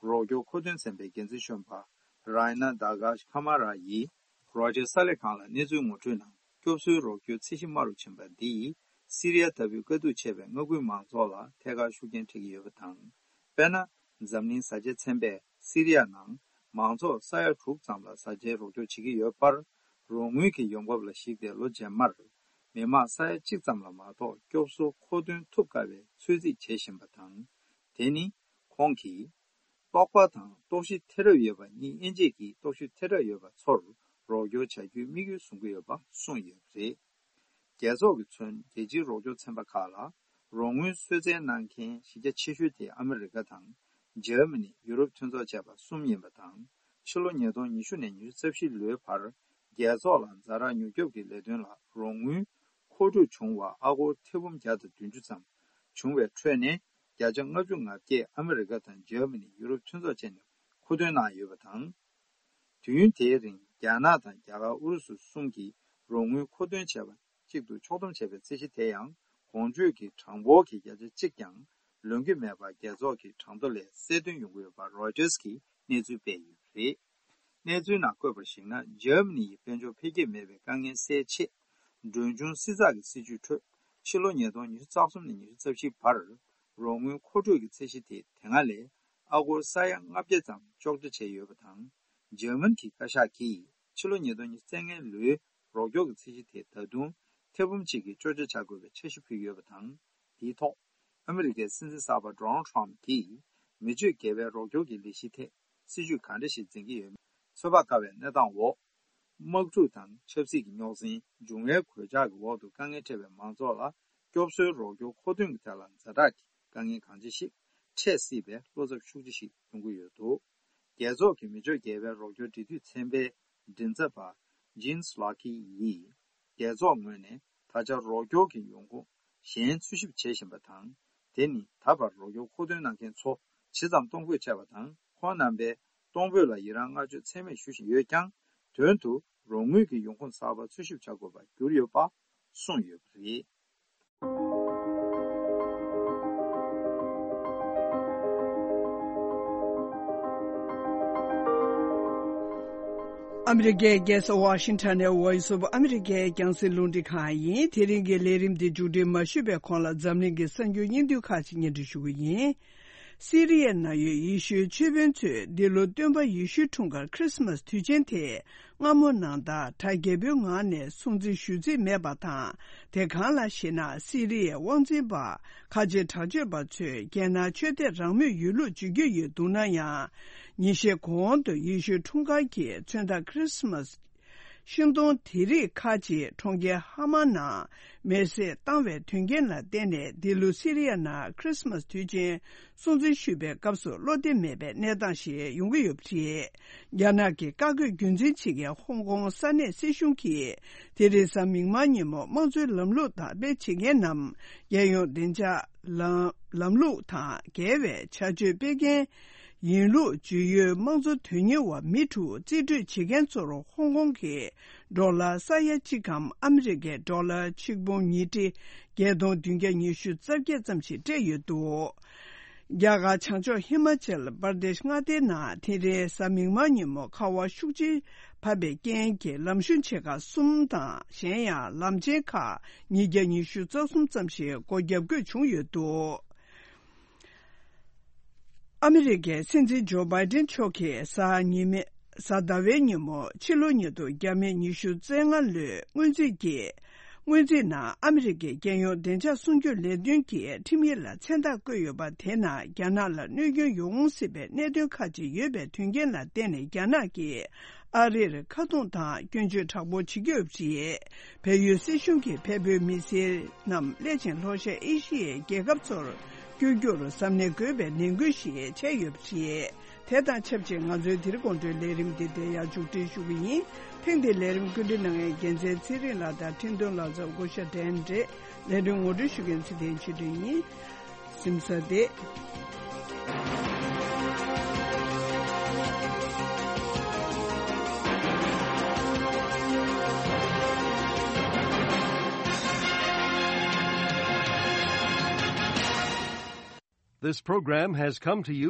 རོགས་སྐྱོར་མཁོ་འདོན་ཚན་པའི་འགན་འཛིན་གཞོན་པ་Raina Dagash Kamara་ཡིས་Reuters་གསར་ལས་ཁང་ལ་གནས་ཚུལ་ངོ་སྤྲོད་ནང་། སྐྱོབ་གསོའི་རོགས་སྐྱོར་ཚད་གཞི་དམའ་རུ་ཕྱིན་པ་འདིས་སི་རི་ཡ་ལྟ་བུའི་དཀའ་སྡུག་ཆེ་བའི་མངའ་ཁུལ་མང་ཚོགས་ལ་ཐད་ཀར་ཤུགས་རྐྱེན་འཕྲད་ཀྱི་ཡོད་པ་དང་། དཔེར་ན། འཛམ་གླིང་བཟའ་བཅའི་ཚན་པས་སི་རི་ཡ་ནང་མང་ཚོགས་ས་ཡ་དྲུག་ཙམ་ལ་བཟའ་བཅའི་རོགས་སྐྱོར་བྱེད་ཀྱི་ཡོད་པར། རོགས་དངུལ་གྱི་ཡོང་འབབ་ལ་གཞིགས་ཏེ་ལོ་རྗེས་མར་མི་མང་ས་ཡ་གཅིག་ཙམ་ལ་མ་གཏོགས་སྐྱོབ་གསོ་མཁོ་འདོན་ཐུབ་དཀའ་བའི་ཚོད་རྩིས་བྱེད་བཞིན་པ་དང་། དེ་ནི་ཁོང་གིས་ལྟོགས་པ་དང་ལྟོགས་ཤི་ཐེ་རབས་ཡོད་པ་གཉིས་དབྱེ་འབྱེད་ཀྱིས་ལྟོགས་ཤི་ཐེ་རབས་ཡོད་པ་ཚོར་རོགས་སྐྱོར་བྱ་རྒྱུའི་དམིགས་ཡུལ་བཟུང་གི་ཡོད་པ་གསུངས་ཡོད་པ་རེད། རྒྱལ་ཚོགས་ཀྱིས་མཚོན་རྒྱལ་སྤྱིའི་རོགས་སྐྱོར་ཚན་པ་ཁག་ལ་རོགས་དངུལ་གསོལ་སྩལ་གནང་མཁན་གཞི་རྒྱ་ཆེ་ཤོས་དེ་ཨ་མི་རི་ཀ་དང་། འཇར་མ་ནི། ཡུ་རོབ་མཐུན་ཚོགས་བཅས་པ་གསུམ་ཡིན་པ་དང་། ཕྱི་ལོ་ཉིས་སྟོང་ཉི་ཤུ་ནས་ཉི་ཤུ་རྩ་བཞི་ལོའི་བར་རྒྱལ་ཚོགས་ལ་ཛ་དྲག་མྱུར་སྐྱོབ་ཀྱི་ལས་དོན་ལ་རོགས་དངུལ་མཁོ་སྤྲོད་བྱུང་བ་ཨ་སྒོར་ཐེར་འབུམ་བརྒྱ་དང་བདུན་ཅུ་ཙམ་བྱུང་བའི་ཁྲོད་ནས་བརྒྱ་ཆ་ལྔ་བཅུ་ང་བརྒྱད་ཨ་མི་རི་ཀ་དང་འཇར་མ་ནི། ཡུ་རོབ་མཐུན་ཚོགས་བཅས་ནས་མཁོ་འདོན་གནང་ཡོད་པ་དང་། དུས་ཡུན་དེའི་རིང་རྒྱ་ནག་དང་རྒྱ་གར་ཨུ་རུ་སུ་གསུམ་གྱིས་རོགས་དངུལ་མཁོ་འདོན་བྱས་པ་གཅིག་ཏུ་ཕྱོགས་བསྡོམས་བྱས་པའི་ཚད་གཞི་དེ་ཡང་གོང་བརྗོད་ཀྱི་གྲངས་འབོར་གྱི་བརྒྱ་ཆ་གཅིག་ཀྱང་ལོན་གྱི་མེད་པར་རྒྱལ་ཚོགས་ཀྱི་གྲངས་ཐོ་ལས་གསལ་སྟོན་ཡོང་གི་ཡོད་པ་རོའི་ཊར་གྱིས་གནས་ཚུལ་སྤེལ་ཡོད་པ་རེད། གནས་ཚུལ་ནང་བཀོད་པར་གཞིགས་ན། འཇར་མ་ནི་ཡི་དཔལ་འབྱོར་འཕེལ་རྒྱས་མེད་པའི་དཀའ་ངལ་སེལ་ཆེད། གྲོན་ཆུང་བསྲི་ཚགས་ཀྱི་སྲིད་ཇུས་ཁྲོད། ཕྱི་ལོ་ཉིས་སྟོང་ཉི་ཤུ་རྩ་གསུམ་ནས་ཉི་ཤུ་རྩ་བཞི་བར་རོགས་དངུལ་མཁོ་སྤྲོད་ཀྱི་ཚད་གཞི་དེ་དེ་སྔ་ལས་ཨ་སྒོར་ས་ཡ་ལྔ་བརྒྱ་ཙམ་གཅོག་ཆ་བྱས་ཡོད་པ་དང་། འཇར་མན་གྱི་བཀའ་ཤག་གིས་ཕྱི་ལོ་ཉིས་སྟོང་ཉི་ཤུ་རྩ་ལྔའི་ལོའི་རོགས་སྐྱོར་གྱི་ཚད་གཞི་དེ་ད་དུང་ཐེར་འབུམ་གཅིག་གིས་གཅོག་ཆ་བྱ་དགོས་པའི་འཆར་གཞི་ཕུལ་ཡོད་པ་དང་། དེའི་ཐོག་ཨ་མི་རི་ཀའི་སྲིད་འཛིན་གསར་པ་Donald Trump་གྱིས་མི་སྤྱོད་དགེ་བའི་རོགས་སྐྱོར་གྱི་ལས་གཞི་ཐད་སྲིད་ཇུས་གང་འདྲ་ཞིག་འཛིན་གྱི་ཡོད་མེད་ཚོད་དཔག་དཀའ་བའི་གནས་སྟངས་འོག་དམག་འཁྲུག་དང་ཆབ་སྲིད་ཀྱི་རྙོག་ཟིང་། འབྱུང་བའི་གོད་ཆག་གི་འོག་ཏུ་དཀའ་ངལ་འཕྲད་པའི་མང་ཚོགས་ལ་སྐྱོབ་གསོའི་རོགས་སྐྱོར་མཁོ་འདོན་གྱི་ཐད་ལ་ཛ་དྲག་གི་དཀའ་ངལ་གང་ཆེ་ཞིག་འཕྲད་སྲིད་པའི་བློ་འཚབ་ཤུགས་ཆེ་ཞིག་ཡོང་གི་ཡོད་འདུག་རྒྱལ་ཚོགས་ཀྱི་མི་སྤྱོད་དགེ་བའི་རོགས་སྐྱོར་འབྲེལ་མཐུད་ཚན་པའི་མགྲིན་ཚབ་པ་Jen Psaki་ཡིས། རྒྱལ་ཚོགས་ངོས་ནས་ད་ཆ་རོགས་སྐྱོར་གྱི་ཡོང་ཁུངས་གཞན་འཚོལ་ཞིབ་བྱེད་བཞིན་པ་དང་། དེ་ནི་ད་བར་རོགས་སྐྱོར་མཁོ་འདོན་གནང་མཁན་ཚོ་ཇི་ཙམ་གཏོང་ཕོད་བྱས་པ་དང་། ཁོང་རྣམ་པས་གཏོང་ཕོད་ལ་ཡི་རངས་བསྔགས་བརྗོད་ཚད་མེད་ཞུ་བཞིན་ཡོད་ཀྱང་། དོན་དུ་རོགས་དངུལ་གྱི་ཡོང་ཁུངས་གསར་པ་འཚོལ་ཞིབ་བྱ་དགོས་པར་གྱུར་ཡོད་པ་གསུངས་ཡོད་པ་རེད། ཨ་མི་རི་ཀའི་རྒྱལ་ས་ཝ་ཤིང་ཊོན་ནས་Voice of America་རྒྱང་སྲིང་རླུང་འཕྲིན་ཁང་ཡིན། དེ་རིང་གི་ལས་རིམ་འདི་མཇུག་སྒྲིལ་མ་ཞུས་པའི་གོང་ལ་འཛམ་གླིང་གི་གསར་འགྱུར་སྙིང་བསྡུས་ཁག་ཅིག་སྙན་སྒྲོན་ཞུ་གི་ཡིན། སི་རི་ཡའི་ནང་ཡོད་ཡེ་ཤུའི་ཆོས་དཔོན་ཚོས་འདི་ལོ་སྟོན་པ་ཡེ་ཤུའི་འཁྲུངས་སྐར་Christmas་དུས་ཆེན་དེ་སྔ་མོ་ནང་ལྟར་གྲ་རྒྱས་པོའི་ངང་ནས་སྲུང་བརྩི་ཞུ་རྩིས་མེད་པ་དང་། དེ་གང་ལགས་ཤེ་ན། སི་རི་ཡའི་དབང་འཛིན་པ་ཁ་ཆེ་དྲག་སྤྱོད་པ་ཚོས་རྒྱལ་ནང་ཆོས་དད་རང་མོས་ཡོད་ལུགས་བརྗོད་ཀྱི་ཡོད་འདུག་ན་ཡང་། ཉིན་ཤས་གོང་དུ་ཡེ་ཤུའི་འཁྲུངས་སྐར་གྱི་མཚོན་རྟགས་Christmas་ཤིང་སྡོང་དེ་རིགས་ཁག་ཅིག་གྲོང་ཁྱེར་ཧ་མ་ནང་མེར་སྲེག་བཏང་བའི་དོན་རྐྱེན་ལ་བརྟེན་ནས། འདི་ལོ་སི་རི་ཡ་ནང་Christmas་དུས་ཆེན་སྲུང་བརྩི་ཞུས་པའི་སྐབས་སུ་བློ་བདེ་མེད་པའི་གནས་སྟངས་ཤིག་ཡོང་གི་ཡོད་པ་རེད། རྒྱ་ནག་གི་བཀའ་བཀོད་རྒྱུན་འཛིན་བྱེད་མཁན་ཧོང་ཀོང་ས་གནས་སྲིད་གཞུང་གིས་དེ་རིང་གཟའ་མིག་དམར་ཉིན་མོ་དམངས་གཙོའི་ལམ་ལུགས་དར་སྤེལ་བྱེད་མཁན་ནམ། རྒྱལ་ཡོངས་བདེ་འཇགས་ལམ་ལམ་ལུགས་དང་འགལ་བའི་བྱ་སྤྱོད་སྤེལ་མཁན་ཡིན་ལུགས་བརྗོད་ཡུལ་དམངས་གཙོ་དོན་གཉེར་བ་མི་དྲུག་རྩིས་སྤྲོད་བྱེད་མཁན་ཚོར་ཧོང་ཀོང་གི་ཌོ་ལར་ས་ཡ་གཅིག་གམ་ཨ་མི་རི་ཀའི་ཌོ་ལར་ཆིག་འབུམ་ཉིས་ཁྲི་བརྒྱད་སྟོང་བདུན་བརྒྱ་ཉི་ཤུ་རྩ་བརྒྱད་ཙམ་ཞིག་སྤྲད་ཡོད་འདུག་རྒྱ་གར་བྱང་ཕྱོགས་ཧི་མ་ཅལ་པར་དེཤ་མངའ་སྡེའི་ནང་དེ་རིང་གཟའ་མིག་དམར་ཉིན་མོ་ཁ་བ་ཤུགས་ཆེ་བབས་པའི་རྐྱེན་གྱིས་ལམ་གཞུང་ཆེ་ཁག་གསུམ་དང་། གཞན་ཡང་ལམ་ཆེན་ཁག་ཉིས་བརྒྱ་ཉི་ཤུ་རྩ་གསུམ་ཙམ་ཞིག་སྒོ་བརྒྱབ་དགོས་བྱུང་ཡོད་འདུག་ཨ་མི་རི་ཀའི་སྲིད་འཛིན་ཇོ་བྷའི་ཏན་མཆོག་གིས་གཟའ་ཉི་མའི་གཟའ་ཟླ་བའི་ཉིན་མོ་ཕྱི་ལོ་ཉིས་སྟོང་བརྒྱ་མེད་ཉི་ཤུ་རྩ་ལྔ་ལོའི་སྔོན་རྩིས་ཀྱི་ སྔོན་རྩིས་ནང་ཨ་མི་རི་ཀའི་རྒྱལ་ཡོངས་བདེ་འཇགས་སྲུང་སྐྱོབ་ལས་དོན་གྱི་ཁྲིམས་ཡིག་ལ་མཚན་རྟགས་བཀོད་ཡོད་པ་དེ་ནང་རྒྱ་ནག་ལ་གནོད་སྐྱོན་ཡོང་སྲིད་པའི་གནད་དོན་ཁག་ཅིག་ཡོད་པའི་དོན་རྐྱེན་ལ་བརྟེན་ནས། རྒྱ་ནག་གིས་ཨ་རིར་ཁ་རྡུང་དང་སྐྱོན་བརྗོད་དྲག་པོ་བྱེད་ཀྱི་ཡོད་པ་རེད། བལ་ཡུལ་སྲིད་གཞུང་གིས་བལ་པོའི་མི་སེར་རྣམས་སླད་ཕྱིན་ལྷོ་ཤར་ཨེ་ཤི་ཡའི་རྒྱལ་ཁབ་ཚོར་བསྐྱོད་རྒྱུར་གཟབ་ནན་དགོས་པའི་ནན་སྐུལ་ཞིག་བྱས་ཡོད་པ་རེད། དེ་དང་ཆབས་ཅིག་ང་ཚོའི་འདིར་དགོང་དྲོའི་ལས་རིམ་འདི་འདིར་ཡང་མཇུག་སྒྲིལ་ཞུ་གི་ཡིན། ཐེངས་འདིའི་ལས་རིམ་བཀོད་སྒྲིག་གནང་མཁན་རྒྱལ་མཚན་ཚེ་རིང་ལགས་དང་འཕྲིན་གཏོང་ལག་རྩལ་བ་སྐུ་ཞབས་ཌན་རེད། ལས་དོན་ངོ་སྤྲོད་ཞུ་མཁན་ཚེ་བརྟན་ཆོས་སྒྲོན་ཡིན། གཟིམ་ས་བདེ། This program has come to you